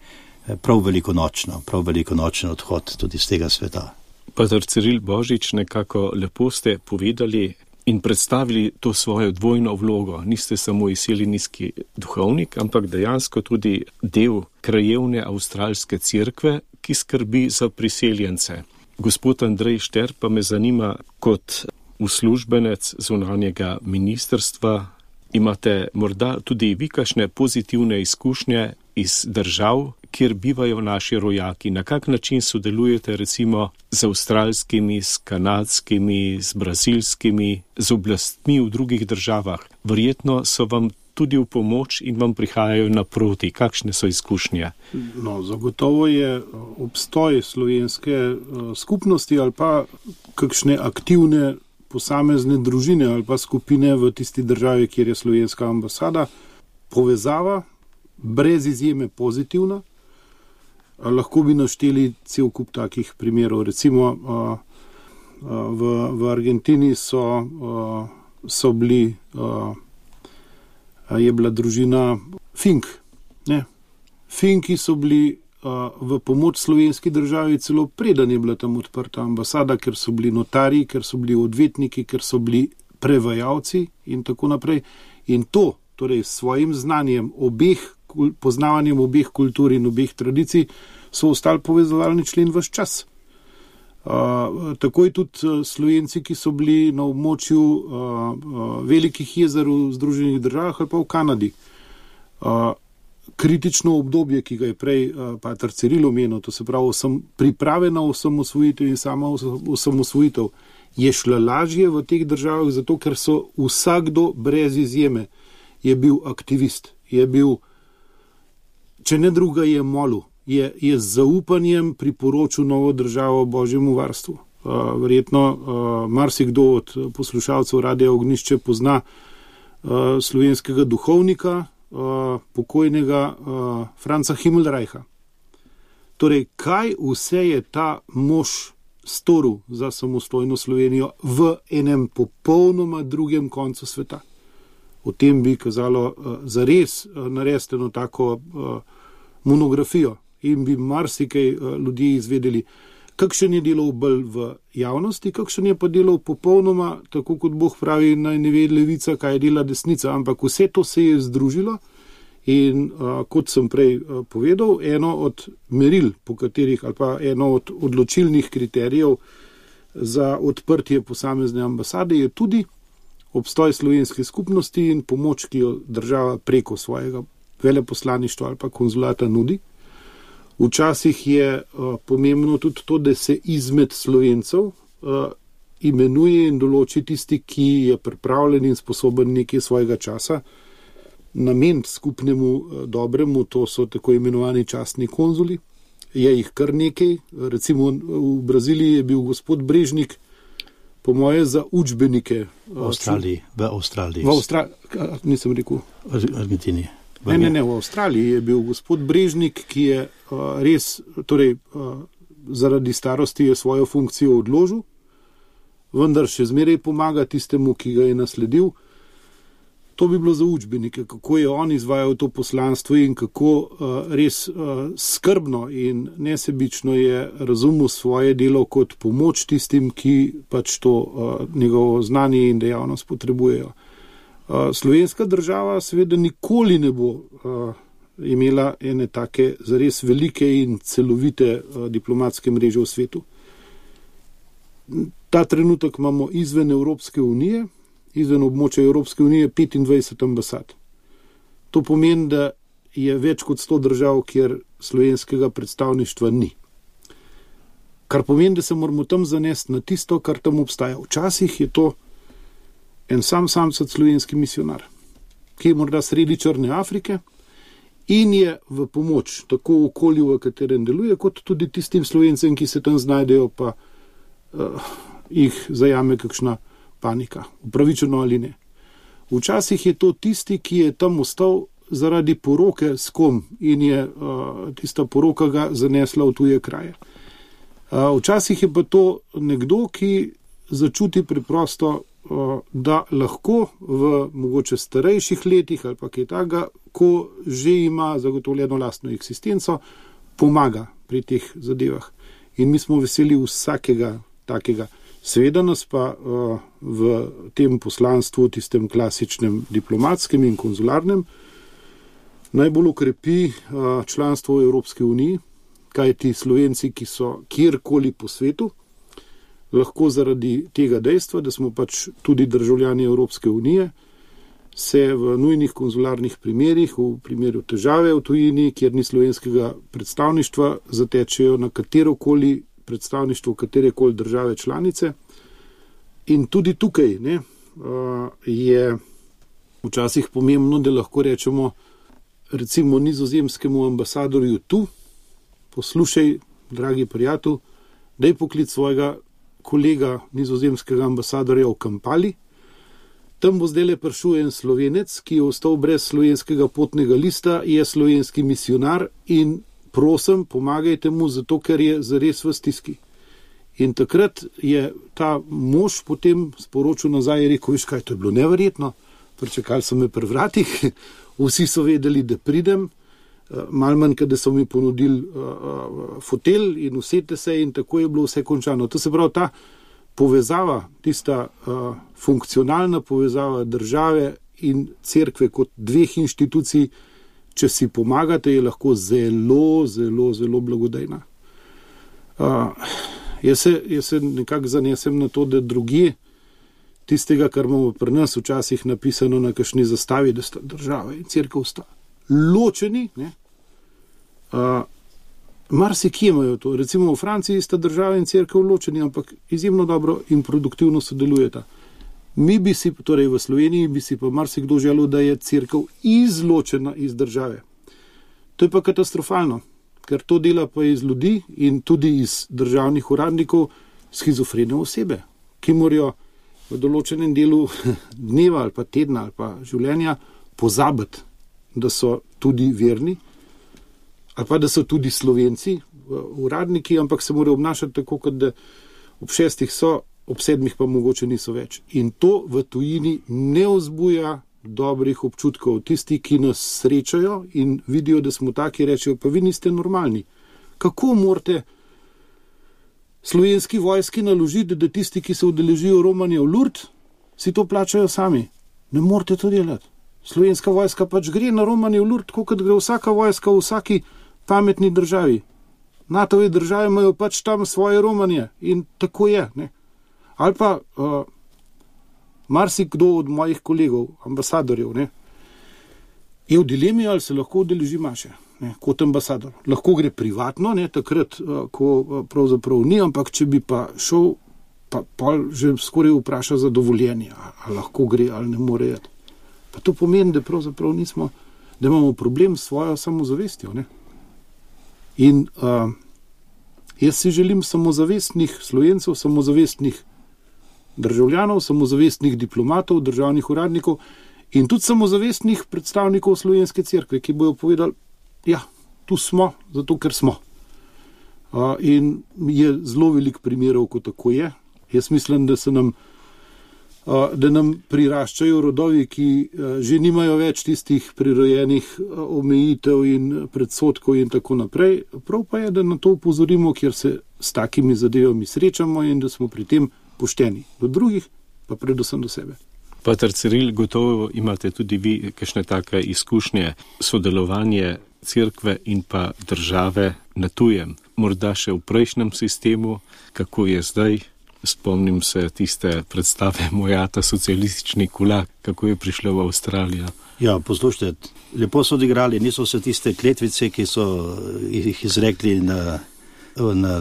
Prav velikonočen odhod tudi z tega sveta. Pater Ciril Božič, nekako lepo ste povedali in predstavili to svojo dvojno vlogo. Niste samo izseljenski duhovnik, ampak dejansko tudi del krajevne avstralske cerkve, ki skrbi za priseljence. Gospod Andrej Šter, pa me zanima, kot uslužbenec zunanjega ministrstva, imate morda tudi vi kakšne pozitivne izkušnje iz držav, kjer bivajo naši rojaki? Na kak način sodelujete recimo z avstralskimi, s kanadskimi, z brazilskimi, z oblastmi v drugih državah? Verjetno so vam tudi v pomoč in vam prihajajo naproti. Kakšne so izkušnje? No, zagotovo je obstoj slovenske skupnosti ali pa kakšne aktivne posamezne družine ali pa skupine v tisti državi, kjer je slovenska ambasada, povezava brez izjeme pozitivna. Lahko bi našteli cel kup takih primerov. Recimo v Argentini so bili, je bila družina Fink. Ne? Finki so bili v pomoč slovenski državi celo preden je bila tam odprta ambasada, ker so bili notarji, ker so bili odvetniki, ker so bili prevajalci in tako naprej. In to, torej s svojim znanjem poznavanjem obeh kultur in obeh tradicij, so ostali povezovalni člen ves čas. Takoj tudi Slovenci, ki so bili na območju velikih jezer v Združenih državah ali pa v Kanadi. Kritično obdobje, ki ga je prej pater Ciril omenil, to se pravi priprave na osamosvojitev in sama osamosvojitev, je šla lažje v teh državah, zato ker so vsakdo brez izjeme je bil aktivist, je bil, če ne druga, je molil, je z zaupanjem priporočil novo državo Božjemu varstvu. Verjetno marsikdo od poslušalcev Radia Ognjišče pozna slovenskega duhovnika, pokojnega Franca Himmelreicha. Torej, kaj vse je ta mož storil za samostojno Slovenijo v enem popolnoma drugem koncu sveta? O tem bi kazalo zares narediti eno tako monografijo in bi marsikaj ljudi izvedeli, kakšen je delal bolj v javnosti, kakšen je pa delal popolnoma, tako kot Bog pravi, naj ne ve levica, kaj dela desnica, ampak vse to se je združilo in kot sem prej povedal, eno od meril, po katerih, ali pa eno od odločilnih kriterijev za odprtje posamezne ambasade je tudi obstoj slovenske skupnosti in pomoč, ki jo država preko svojega veleposlaništva ali pa konzulata nudi. Včasih je pomembno tudi to, da se izmed Slovencev imenuje in določi tisti, ki je pripravljen in sposoben nekaj svojega časa nameniti skupnemu dobremu, to so tako imenovani častni konzuli. Je jih kar nekaj, recimo v Braziliji je bil gospod Brežnik, po moje za učbenike. V Avstraliji. Nisem rekel. V Argentini. Ne, v Avstraliji je bil gospod Brežnik, ki je res, torej zaradi starosti je svojo funkcijo odložil, vendar še zmeraj pomaga tistemu, ki ga je nasledil. To bi bilo za učbenike, kako je on izvajal to poslanstvo in kako res skrbno in nesebično je razumel svoje delo kot pomoč tistim, ki pač to njegovo znanje in dejavnost potrebujejo. Slovenska država seveda nikoli ne bo imela ene take zares velike in celovite diplomatske mreže v svetu. Ta trenutek imamo izven Evropske unije, izven območja Evropske unije 25 ambasad. To pomeni, da je več kot 100 držav, kjer slovenskega predstavništva ni. Kar pomeni, da se moramo tam zanesti na tisto, kar tam obstaja. Včasih je to en samcat slovenski misionar, ki je morda sredi Črne Afrike in je v pomoč tako okolju, v katerem deluje, kot tudi tistim Slovencem, ki se tam znajdejo, pa jih zajame kakšna panika, upravičeno ali ne. Včasih je to tisti, ki je tam ostal zaradi poroke s kom in je tista poroka ga zanesla v tuje kraje. Včasih je pa to nekdo, ki začuti preprosto, da lahko v mogoče starejših letih ali pa kaj takega, ko že ima zagotovljeno lastno eksistenco, pomaga pri teh zadevah. In mi smo veseli vsakega takega. Seveda nas pa v tem poslanstvu, tistem klasičnem diplomatskem in konzularnem, najbolj ukrepi članstvo v Evropski uniji, kajti Slovenci, ki so kjerkoli po svetu, lahko zaradi tega dejstva, da smo pač tudi državljani Evropske unije, se v nujnih konzularnih primerih, v primeru težave v tujini, kjer ni slovenskega predstavništva, zatečejo na katerokoli predstavništvo katerekoli države članice. In tudi tukaj je včasih pomembno, da lahko rečemo recimo nizozemskemu ambasadorju tu, poslušaj, dragi prijatelj, daj poklic svojega kolega nizozemskega ambasadorja v Kampali, tam bo zdajle prišel en Slovenec, ki je ostal brez slovenskega potnega lista, je slovenski misionar in prosim, pomagajte mu, zato ker je zares v stiski. In takrat je ta mož potem sporočil nazaj in rekel, veš kaj, to je bilo neverjetno, pričakali so me pri vratih, vsi so vedeli, da pridem, malo manj, kada so mi ponudili fotelj in usete se in tako je bilo vse končano. To se pravi, ta povezava, tista funkcionalna povezava države in cerkve kot dveh inštitucij, če si pomagate, je lahko zelo, zelo, zelo blagodejna. Jaz se nekako zanesem na to, da drugje tistega, kar imamo pri nas včasih napisano na kakšni zastavi, da sta država in cerkev sta ločeni, marsikje imajo to. Recimo v Franciji sta država in cerkev ločeni, ampak izjemno dobro in produktivno sodelujeta. Mi bi si, torej v Sloveniji, bi si pa marsikdo želel, da je cerkev izločena iz države. To je pa katastrofalno, ker to dela pa iz ljudi in tudi iz državnih uradnikov shizofrene osebe, ki morajo v določenem delu dneva ali pa tedna ali pa življenja pozabiti, da so tudi verni ali pa da so tudi Slovenci, uradniki, ampak se morajo obnašati tako, kot da ob 6 so, ob 7 pa mogoče niso več. In to v tujini ne vzbuja dobrih občutkov. Tisti, ki nas srečajo in vidijo, da smo taki, rečejo, pa vi niste normalni. Kako morate slovenski vojski naložiti, da tisti, ki se udeležijo romanja v Lourdes, si to plačajo sami? Ne morate to delati. Slovenska vojska pač gre na romanje v Lourdes, kot gre vsaka vojska v vsaki pametni državi. NATO-ve države imajo pač tam svoje romanje in tako je, ne. Ali pa marsikdo od mojih kolegov, ambasadorjev, je v dilemi, ali se lahko udeleži maše, kot ambasador. Lahko gre privatno, takrat, ko pravzaprav ni, ampak če bi pa šel, pa že skoraj vpraša za dovoljenje, ali lahko gre, ali ne more jeti. Pa to pomeni, da pravzaprav nismo, da imamo problem s svojo samozavestjo, In jaz si želim samozavestnih Slovencev, samozavestnih državljanov, samozavestnih diplomatov, državnih uradnikov in tudi samozavestnih predstavnikov Slovenske cerkve, ki bojo povedali, ja, tu smo, zato ker smo. In je zelo velik primerov, ko tako je. Jaz mislim, da se nam da nam priraščajo rodovi, ki že nimajo več tistih prirojenih omejitev in predsodkov in tako naprej. Prav pa je, da na to upozorimo, kjer se s takimi zadevami srečamo in da smo pri tem pošteni do drugih, pa predvsem do sebe. Pater Ciril, gotovo imate tudi vi kakšne take izkušnje, sodelovanje cerkve in pa države na tujem. Morda še v prejšnjem sistemu, kako je zdaj. Spomnim se tiste predstave Mojata, socialistični kulak, kako je prišla v Avstralijo. Ja, poslušajte, lepo so odigrali, niso se tiste kletvice, ki so jih izrekli na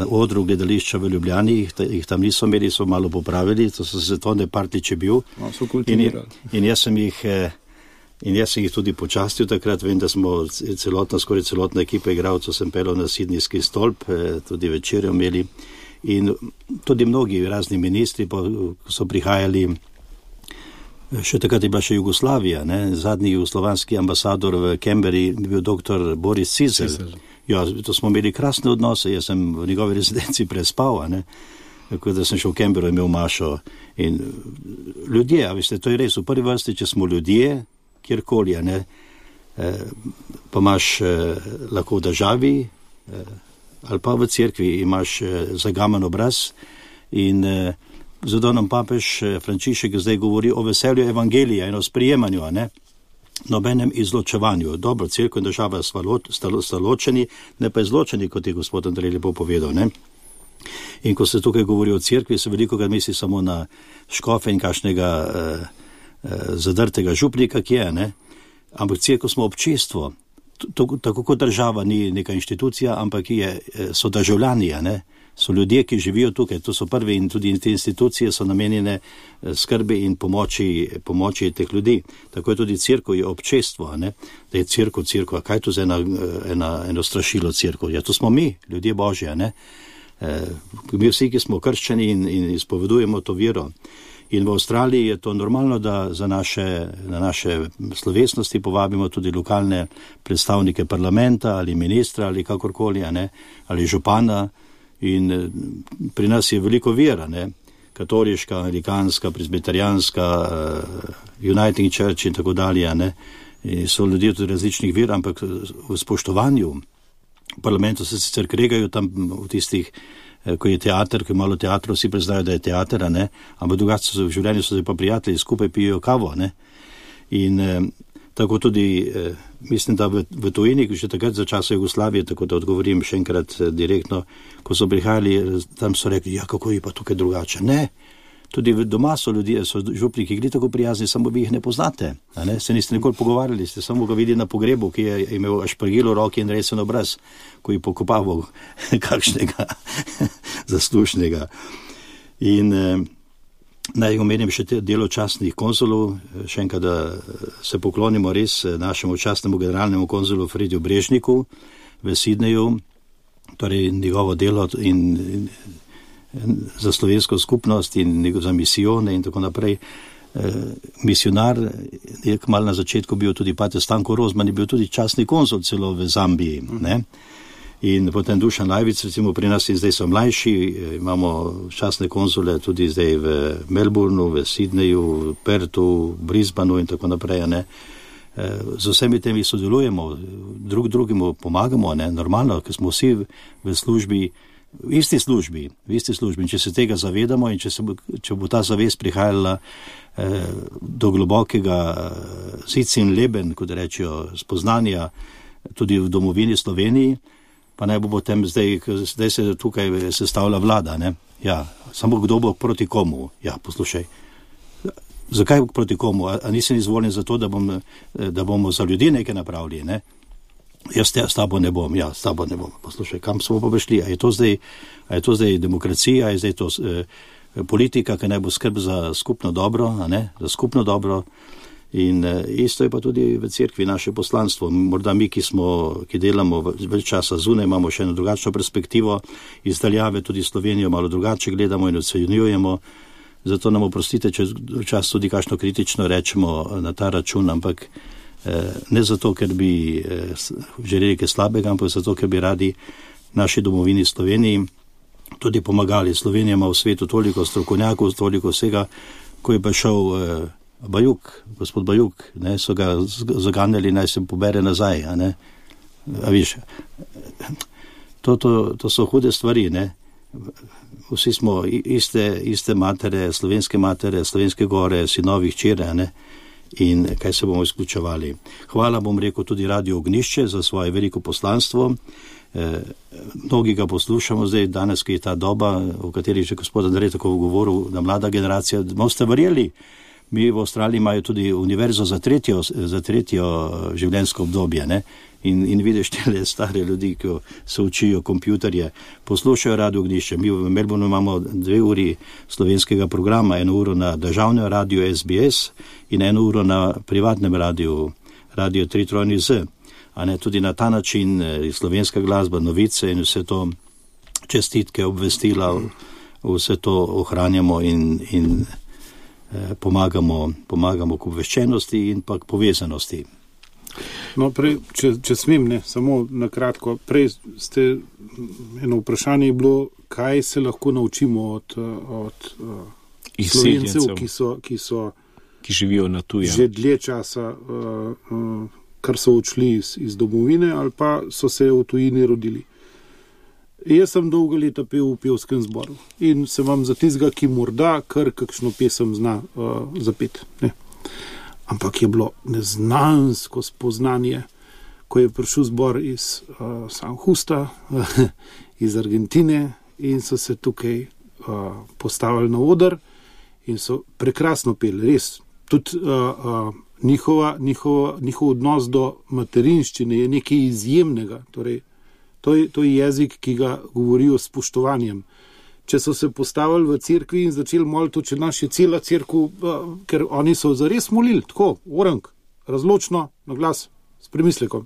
odru gledališča v Ljubljani, jih tam niso imeli, so malo popravili, to so se Tone Partljič je bil. No, so kultivirali. In jaz sem jih tudi počastil takrat, vem, da smo skoraj celotna ekipa igralcev sem pelal na Sidnijski stolp, tudi večerjo imeli. In tudi mnogi razni ministri so prihajali, še takrat je bila še Jugoslavija, zadnji jugoslovanski ambasador v Canberri je bil dr. Boris Cizel. Ja, to smo imeli krasne odnose, jaz sem v njegovi rezidenci prespal, tako da sem šel v Canberro, imel mašo. In ljudje, a veste, to je res, v prvi vrsti, če smo ljudje, kjerkoli, pa imaš lahko v državi, ali pa v cerkvi imaš zagaman obraz in zato nam papež Frančišek zdaj govori o veselju evangelija in o sprijemanju, nobenem izločevanju. Dobro, cerkev in država sta ločeni, ne pa izločeni, kot je gospod Andrej lepo povedal. In ko se tukaj govori o cerkvi, se veliko krat misli samo na škofe in kakšnega zadrtega župnika, ki je, ampak cerkev smo občestvo. Tako kot država ni neka inštitucija, ampak so državljani, so ljudje, ki živijo tukaj, to so prvi in tudi te institucije so namenjene skrbi in pomoči teh ljudi. Tako je tudi cerkev, je občestvo, da je cerkev, kaj je to za eno strašilo cerkev? Ja, to smo mi, ljudje Božji, mi vsi, ki smo krščeni in izpovedujemo to vero. In v Avstraliji je to normalno, da na naše slovesnosti povabimo tudi lokalne predstavnike parlamenta ali ministra ali kakorkoli, ali župana. In pri nas je veliko vera, katoliška, amerikanska, presbiterijanska, Uniting Church in tako dalje. So ljudje tudi različnih ver, ampak v spoštovanju v parlamentu se sicer kregajo tam v tistih, ko je teater, ko je malo teatrov, vsi preznajo, da je teater, ampak drugače v življenju so pa prijatelji, skupaj pijo kavo. In tako tudi, mislim, da v tujini, že takrat za časa Jugoslavije, tako da odgovorim še enkrat direktno, ko so prihajali, tam so rekli, ja, kako je pa tukaj drugače. Ne, tudi doma so ljudje, so župniki, ki tako prijazni, samo vi jih ne poznate. Se niste nikoli pogovarjali, ste samo ga videli na pogrebu, ki je imel špargilo v roki in resen obraz, ko je pokopaval kakšnega zaslušnega. In naj omenim še delo častnih konzulov, še enkrat, da se poklonimo res našemu častnemu generalnemu konzulu Frediju Brežniku v Sidneju, torej njegovo delo in za slovensko skupnost in za misijone in tako naprej. Misionar je kmalu na začetku bil tudi pater Stanko Rozman, je bil tudi častni konzul celo v Zambiji. In potem Dušan Lajvic, recimo pri nas in zdaj so mlajši, imamo častne konzule tudi zdaj v Melbourneu, v Sidneju, v Pertu, v Brisbaneu in tako naprej. Z vsemi temi sodelujemo, drugemu pomagamo, normalno, ker smo vsi v službi, v isti službi. In če se tega zavedamo in če bo ta zavest prihajala do globokega sitsin leben, kot rečejo, spoznanja tudi v domovini Sloveniji, pa naj bo potem zdaj se tukaj sestavlja vlada, Ja, samo kdo bo proti komu? Ja, poslušaj, zakaj proti komu? A nisem izvoljen za to, da bomo za ljudi nekaj napravili, Jaz s tabo ne bom, s tabo ne bom. Poslušaj, kam smo pa prišli? A je to zdaj demokracija, a je zdaj to politika, ki naj bo skrb za skupno dobro, za skupno dobro. In isto je pa tudi v cerkvi naše poslanstvo. Morda mi, ki delamo več časa zunaj, imamo še eno drugačno perspektivo, iz daljave tudi Slovenijo malo drugače gledamo in ocenjujemo. Zato nam oprostite, če včasih tudi kakšno kritično rečemo na ta račun, ampak ne zato, ker bi želeli kaj slabega, ampak zato, ker bi radi naši domovini Sloveniji tudi pomagali. Slovenija ima v svetu toliko strokovnjakov, toliko vsega, ko je prišel Bajuk, gospod Bajuk, ne, so ga zaganjali, naj se pobere nazaj, a ne. A viš, to so hude stvari, ne. Vsi smo iste matere, slovenske gore, sinovi, hčere, ne. In kaj se bomo izključevali. Hvala, bom rekel, tudi Radio Ognišče za svoje veliko poslanstvo. Mnogi ga poslušamo zdaj, danes, ki je ta doba, o kateri že gospod Andrej tako govoril, da mlada generacija, boste verjeli, mi v Avstraliji imajo tudi univerzo za tretjo življenjsko obdobje, ne? In vidiš tele stare ljudi, ki se učijo kompjuterje, poslušajo Radio Ognišče. Mi v Melbourneu imamo 2 uri slovenskega programa, 1 uro na državnem radiju SBS in 1 uro na privatnem radiju, Radio 3 a ne, tudi na ta način slovenska glasba, novice in vse to, čestitke, obvestila, vse to ohranjamo in pomagamo k obveščenosti in pa k povezanosti. No, prej, če smem, ne, samo na kratko, prej eno vprašanje je bilo, kaj se lahko naučimo od Slovencev, ki živijo na tujem. Že dlje časa, kar so odšli iz domovine ali pa so se v tujini rodili. Jaz sem dolga leta pel v pevskem zboru in se vam za tistega, ki morda kar kakšno pesem zna zapeti, ne. Ampak je bilo neznansko spoznanje, ko je prišel zbor iz San Justa, iz Argentine in so se tukaj postavili na oder in so prekrasno peli, res. Tudi njihov odnos do materinščine je nekaj izjemnega, torej to je jezik, ki ga govorijo s spoštovanjem. Če so se postavili v cerkvi in začeli moliti, če naš je cela cerkev, ker oni so zares molili, tako, orang, razločno, na glas, s premislekom.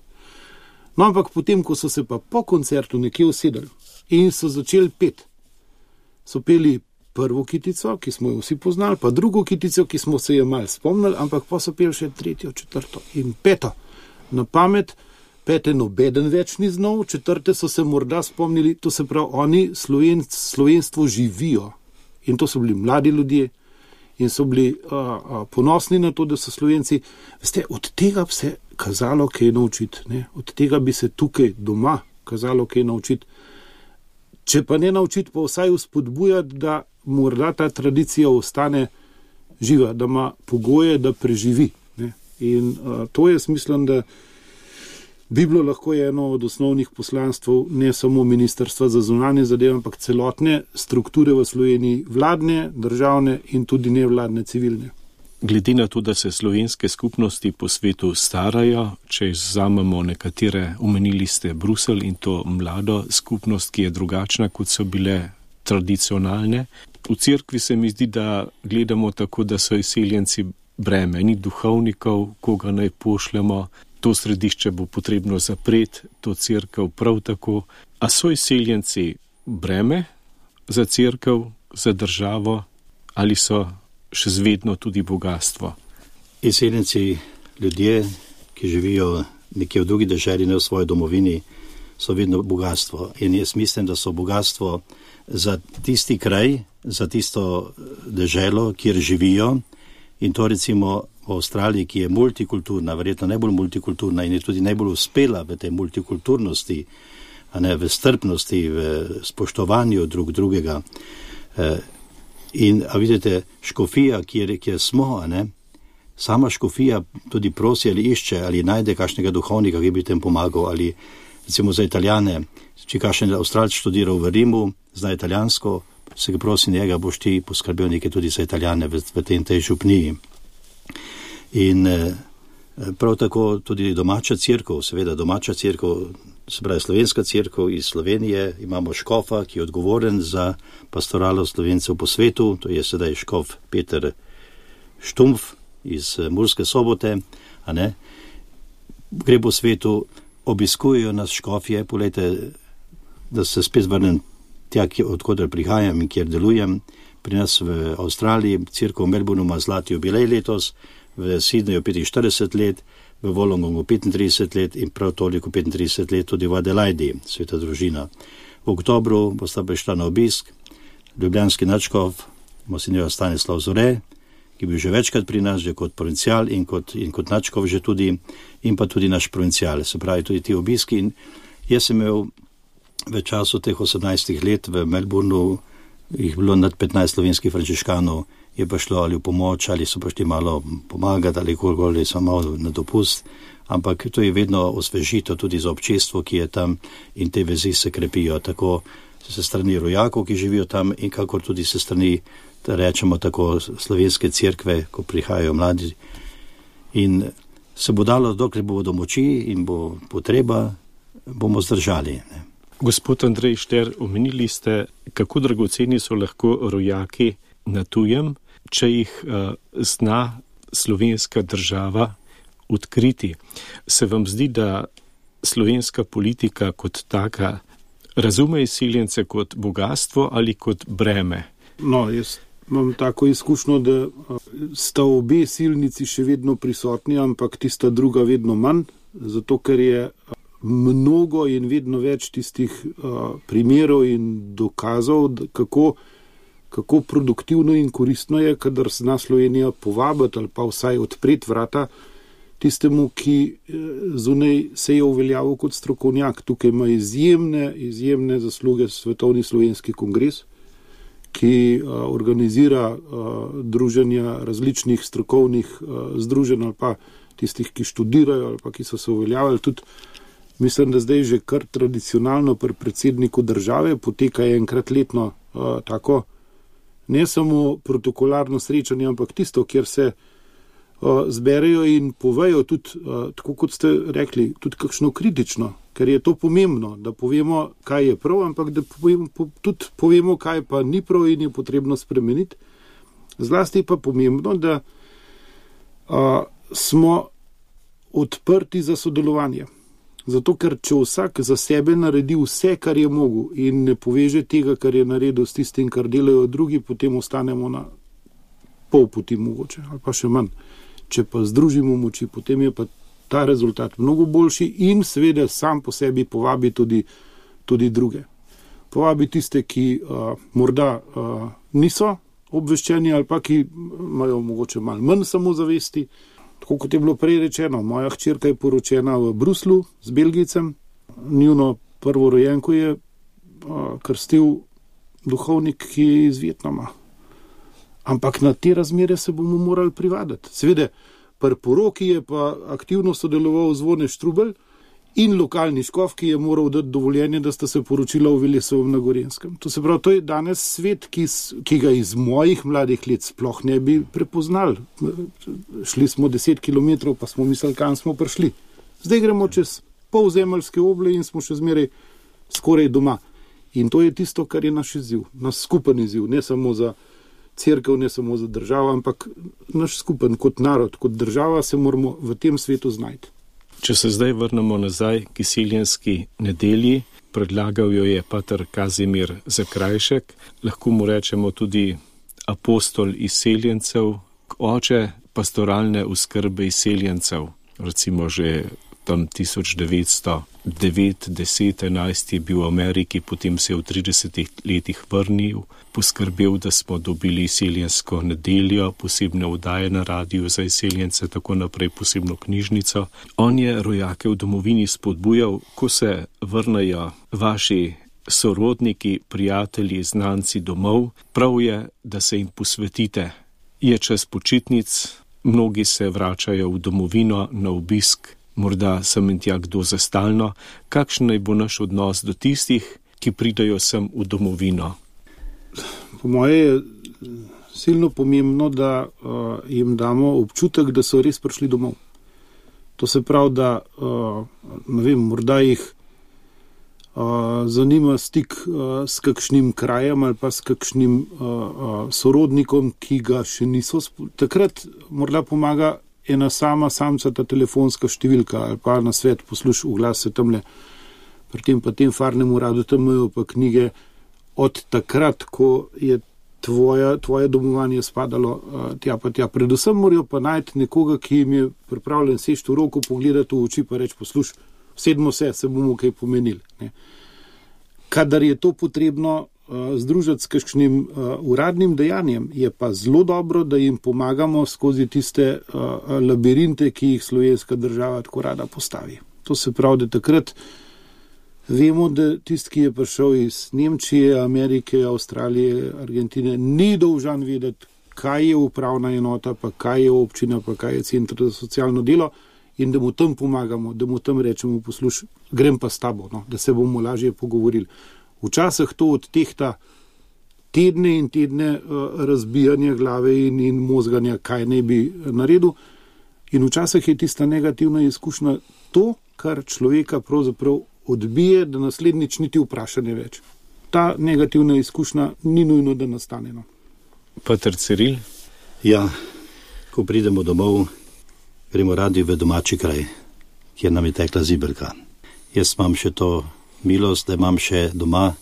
No, ampak potem, ko so se pa po koncertu nekje usedeli in so začeli peti, so peli prvo kitico, ki smo jo vsi poznali, pa drugo kitico, ki smo se je malo spomnili, ampak pa so peli še 3., 4. in 5. na pamet. 5. nobeden več ni znal, 4. so se morda spomnili, to se pravi, oni slovenstvo živijo. In to so bili mladi ljudje in so bili ponosni na to, da so Slovenci. Veste, od tega bi se kazalo kaj naučiti, ne? Od tega bi se tukaj doma kazalo kaj naučiti. Če pa ne naučiti, pa vsaj vzpodbujati, da morda ta tradicija ostane živa, da ima pogoje, da preživi, ne? In to jaz mislim, da bi bilo lahko eno od osnovnih poslanstv ne samo Ministrstva za zunanje zadeve, ampak celotne strukture v Sloveniji, vladne, državne in tudi nevladne, civilne. Glede na to, da se slovenske skupnosti po svetu starajo, če vzamemo nekatere, omenili ste Bruselj in to mlado skupnost, ki je drugačna, kot so bile tradicionalne. V cerkvi se mi zdi, da gledamo tako, da so izseljenci breme, ni duhovnikov, koga naj pošljemo. To središče bo potrebno zapreti, to cerkev prav tako. A so izseljenci breme za cerkev, za državo ali so še zvedno tudi bogatstvo? Izseljenci, ljudje, ki živijo nekje v drugi deželi, ne v svoji domovini, so vedno bogatstvo. In jaz mislim, da so bogatstvo za tisti kraj, za tisto deželo, kjer živijo. In to recimo v Avstraliji, ki je multikulturna, verjetno najbolj multikulturna in je tudi najbolj uspela v tej multikulturnosti, a ne v strpnosti, v spoštovanju drugega. In, a vidite, škofija, kjer smo, a ne, sama škofija tudi prosi ali išče, ali najde kakšnega duhovnika, ki bi tem pomagal, ali recimo za Italijane, če kakšen Avstralc študiral v Rimu, zna italijansko, se ga prosi njega, boš ti poskrbel nekaj tudi za Italijane v tej župniji. In prav tako tudi domača cerkev, seveda domača cerkev, se pravi slovenska cerkev iz Slovenije, imamo škofa, ki je odgovoren za pastoralo Slovencev po svetu, to je sedaj škof Peter Štumpf iz Murske Sobote, a ne, gre po svetu, obiskujejo nas škofje, poglejte, da se spet vrnem tja, odkudar prihajam in kjer delujem. Pri nas v Avstraliji, cerkev v Melbourneu ima zlati jubilej letos, v Sydneyju 45 let, v Wollongongu 35 let in prav toliko 35 let tudi v Adelaidi, sveta družina. V oktobru bosta prišla na obisk ljubljanski nadškof, monsignor Stanislav Zore, ki je bil že večkrat pri nas, že kot provincial in kot nadškof že tudi, in pa tudi naš provincial, se pravi tudi ti obiski. In jaz sem imel v času teh 18 let v Melbourneu, jih bilo nad 15 slovenskih frančiškanov, je pa šlo ali v pomoč, ali so prišli malo pomagati, ali kolikoli so malo na dopust, ampak to je vedno osvežito tudi za občestvo, ki je tam, in te vezi se krepijo, tako se strani rojakov, ki živijo tam, in kakor tudi se strani, da rečemo tako, slovenske cerkve, ko prihajajo mladi. In se bo dalo, dokler bo do moči in bo potreba, bomo zdržali. Ne. Gospod Andrej Šter, omenili ste, kako dragoceni so lahko rojaki na tujem, če jih zna slovenska država odkriti. Se vam zdi, da slovenska politika kot taka razume izseljence kot bogatstvo ali kot breme? No, jaz imam tako izkušnjo, da sta obe silnici še vedno prisotni, ampak tista druga vedno manj, zato ker je mnogo in vedno več tistih primerov in dokazov, kako produktivno in koristno je, kadar zna Slovenija povabiti ali pa vsaj odpreti vrata tistemu, ki zunaj se je uveljavil kot strokovnjak. Tukaj ima izjemne zasluge Svetovni slovenski kongres, ki organizira druženja različnih strokovnih združenj ali pa tistih, ki študirajo ali pa ki so se uveljavili. Tudi mislim, da zdaj že kar tradicionalno pri predsedniku države poteka enkrat letno tako, ne samo protokolarno srečanje, ampak tisto, kjer se zberejo in povejo tudi, tako kot ste rekli, tudi kakšno kritično, ker je to pomembno, da povemo, kaj je prav, ampak da tudi povemo, kaj pa ni prav in je potrebno spremeniti. Zlasti pa pomembno, da smo odprti za sodelovanje. Zato, ker če vsak za sebe naredi vse, kar je mogel, in ne poveže tega, kar je naredil s tistim, kar delajo drugi, potem ostanemo na pol poti mogoče, ali pa še manj. Če pa združimo moči, potem je pa ta rezultat mnogo boljši in seveda sam po sebi povabi tudi druge. Povabi tiste, ki morda niso obveščeni ali pa ki imajo mogoče malo manj samozavesti. Tako kot je bilo prej rečeno, moja hčerka je poročena v Bruslu z Belgijcem, njuno prvorojenko je krstil duhovnik, ki je iz Vietnama. Ampak na te razmere se bomo morali privaditi. Seveda, pri poroki je pa aktivno sodeloval Zvone Štrubelj in lokalni škof, ki je moral dati dovoljenje, da sta se poročila v Velesovem na Gorenskem. To se pravi, to je danes svet, ki ga iz mojih mladih let sploh ne bi prepoznali. Šli smo 10 kilometrov, pa smo mislili, kam smo prišli. Zdaj gremo čez polzemeljske oble in smo še zmeraj skoraj doma. In to je tisto, kar je naš izziv, naš skupen izziv, ne samo za cerkev, ne samo za državo, ampak naš skupen kot narod, kot država se moramo v tem svetu znajti. Če se zdaj vrnemo nazaj k izseljenski nedelji, predlagal jo je pater Kazimir Zakrajšek, lahko mu rečemo tudi apostol izseljencev, oče pastoralne oskrbe izseljencev, recimo že tam 1909, 10, 11 je bil v Ameriki, potem se je v 30 letih vrnil, poskrbel, da smo dobili izseljensko nedeljo, posebne oddaje na radiju za izseljence, tako naprej posebno knjižnico. On je rojake v domovini spodbujal, ko se vrnejo vaši sorodniki, prijatelji, znanci domov, prav je, da se jim posvetite. Je čas počitnic, mnogi se vračajo v domovino na obisk, morda sem in tja kdo za stalno. Kakšen naj bo naš odnos do tistih, ki pridajo sem v domovino? Po moje je silno pomembno, da jim damo občutek, da so res prišli domov. To se pravi, da ne vem, morda jih zanima stik s kakšnim krajem ali pa s kakšnim sorodnikom, ki ga še niso. Takrat morda pomaga ena samcata telefonska številka ali pa na svet posluš v glas se tamle. Pri tem pa tem farnem uradu tam imajo pa knjige od takrat, ko je tvoje domovanje spadalo tja pa tja. Predvsem morajo pa najti nekoga, ki jim je pripravljen seči v roko, pogledati v oči pa reči, posluš, sedmo se bomo kaj pomenili. Ne. Kadar je to potrebno, združiti s kakšnim uradnim dejanjem. Je pa zelo dobro, da jim pomagamo skozi tiste labirinte, ki jih slovenska država tako rada postavi. To se pravi, da takrat vemo, da tisti, ki je prišel iz Nemčije, Amerike, Avstralije, Argentine, ni dolžan vedeti, kaj je upravna enota, pa kaj je občina, pa kaj je center za socialno delo, in da mu tam pomagamo, da mu tam rečemo, poslušaj, grem pa s tabo, no, da se bomo lažje pogovorili. Včasih to odtehta tedne in tedne razbijanja glave in mozganja, kaj ne bi naredil. In včasih je tista negativna izkušnja to, kar človeka pravzaprav odbije, da naslednjič niti vprašanje več. Ta negativna izkušnja ni nujno, da nastane. No. Pater Ciril? Ja, ko pridemo domov, gremo radi v domači kraj, kjer nam je tekla zibelka. Jaz imam še to milost, da imam še doma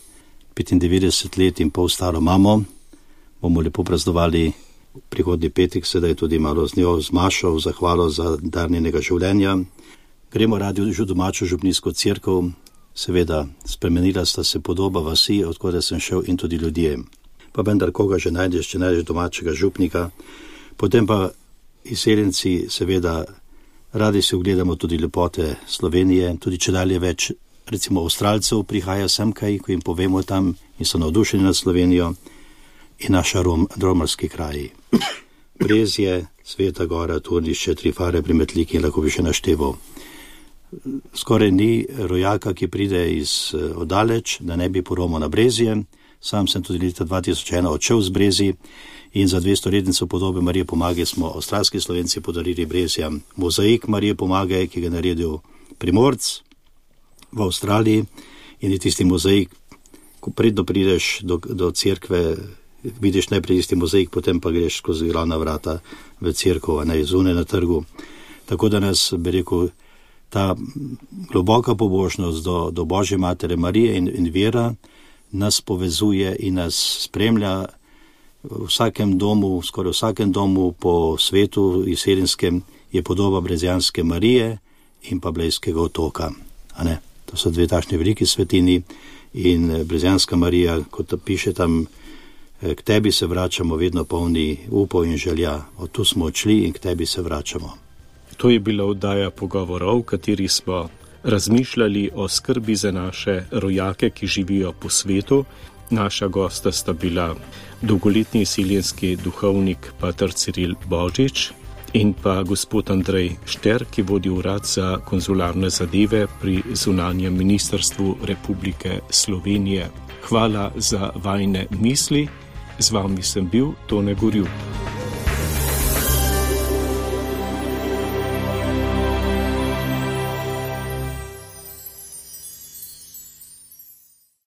95 let in pol staro mamo. Bomo lepo praznovali prihodnji petek, sedaj tudi malo z njo, z Mašo, v zahvalo za dar njenega življenja. Gremo radi v domačo župnijsko cerkev, seveda spremenila sta se podoba vasi, odkud sem šel, in tudi ljudje. Pa vendar koga že najdeš, če najdeš domačega župnika. Potem pa izseljenci, seveda, radi si ogledamo tudi lepote Slovenije, tudi če dalje več, recimo Avstralcev prihaja sem kaj, ko jim povemo tam in so navdušeni nad Slovenijo, in naša romarski kraji. Brezje, Sveta Gora, Turnišče, Trifare pri Metliki, lahko bi še našteval. Skoraj ni rojaka, ki pride iz oddaleč, da ne bi poromal na Brezje. Sam sem tudi leta 2001 odšel z Brezji in za 200-letnico podobe Marije Pomage smo avstralski Slovenci podarili Brezjam mozaik Marije Pomage, ki ga je naredil Primorc v Avstraliji, in je tisti mozaik, ko predno prideš do cerkve, vidiš najprej tisti mozaik, potem pa greš skozi glavna vrata v cerkev, a ne zunaj na trgu. Tako da nas, bi rekel, ta globoka pobožnost do Božje Matere Marije in vera nas povezuje in nas spremlja v vsakem domu, skoraj vsakem domu po svetu izseljenskem je podoba Brezjanske Marije in pa Blejskega otoka. A ne? To so dve takšni veliki svetini in Brezjanska Marija, kot piše tam, k tebi se vračamo vedno polni upov in želja. Od tu smo odšli in k tebi se vračamo. To je bila oddaja Pogovorov, v kateri smo razmišljali o skrbi za naše rojake, ki živijo po svetu. Naša gosta sta bila dolgoletni izseljenski duhovnik pater Ciril Božič in pa gospod Andrej Šter, ki vodi urad za konzularne zadeve pri zunanjem ministrstvu Republike Slovenije. Hvala za vajine misli. Z vami sem bil Tone Gorjup.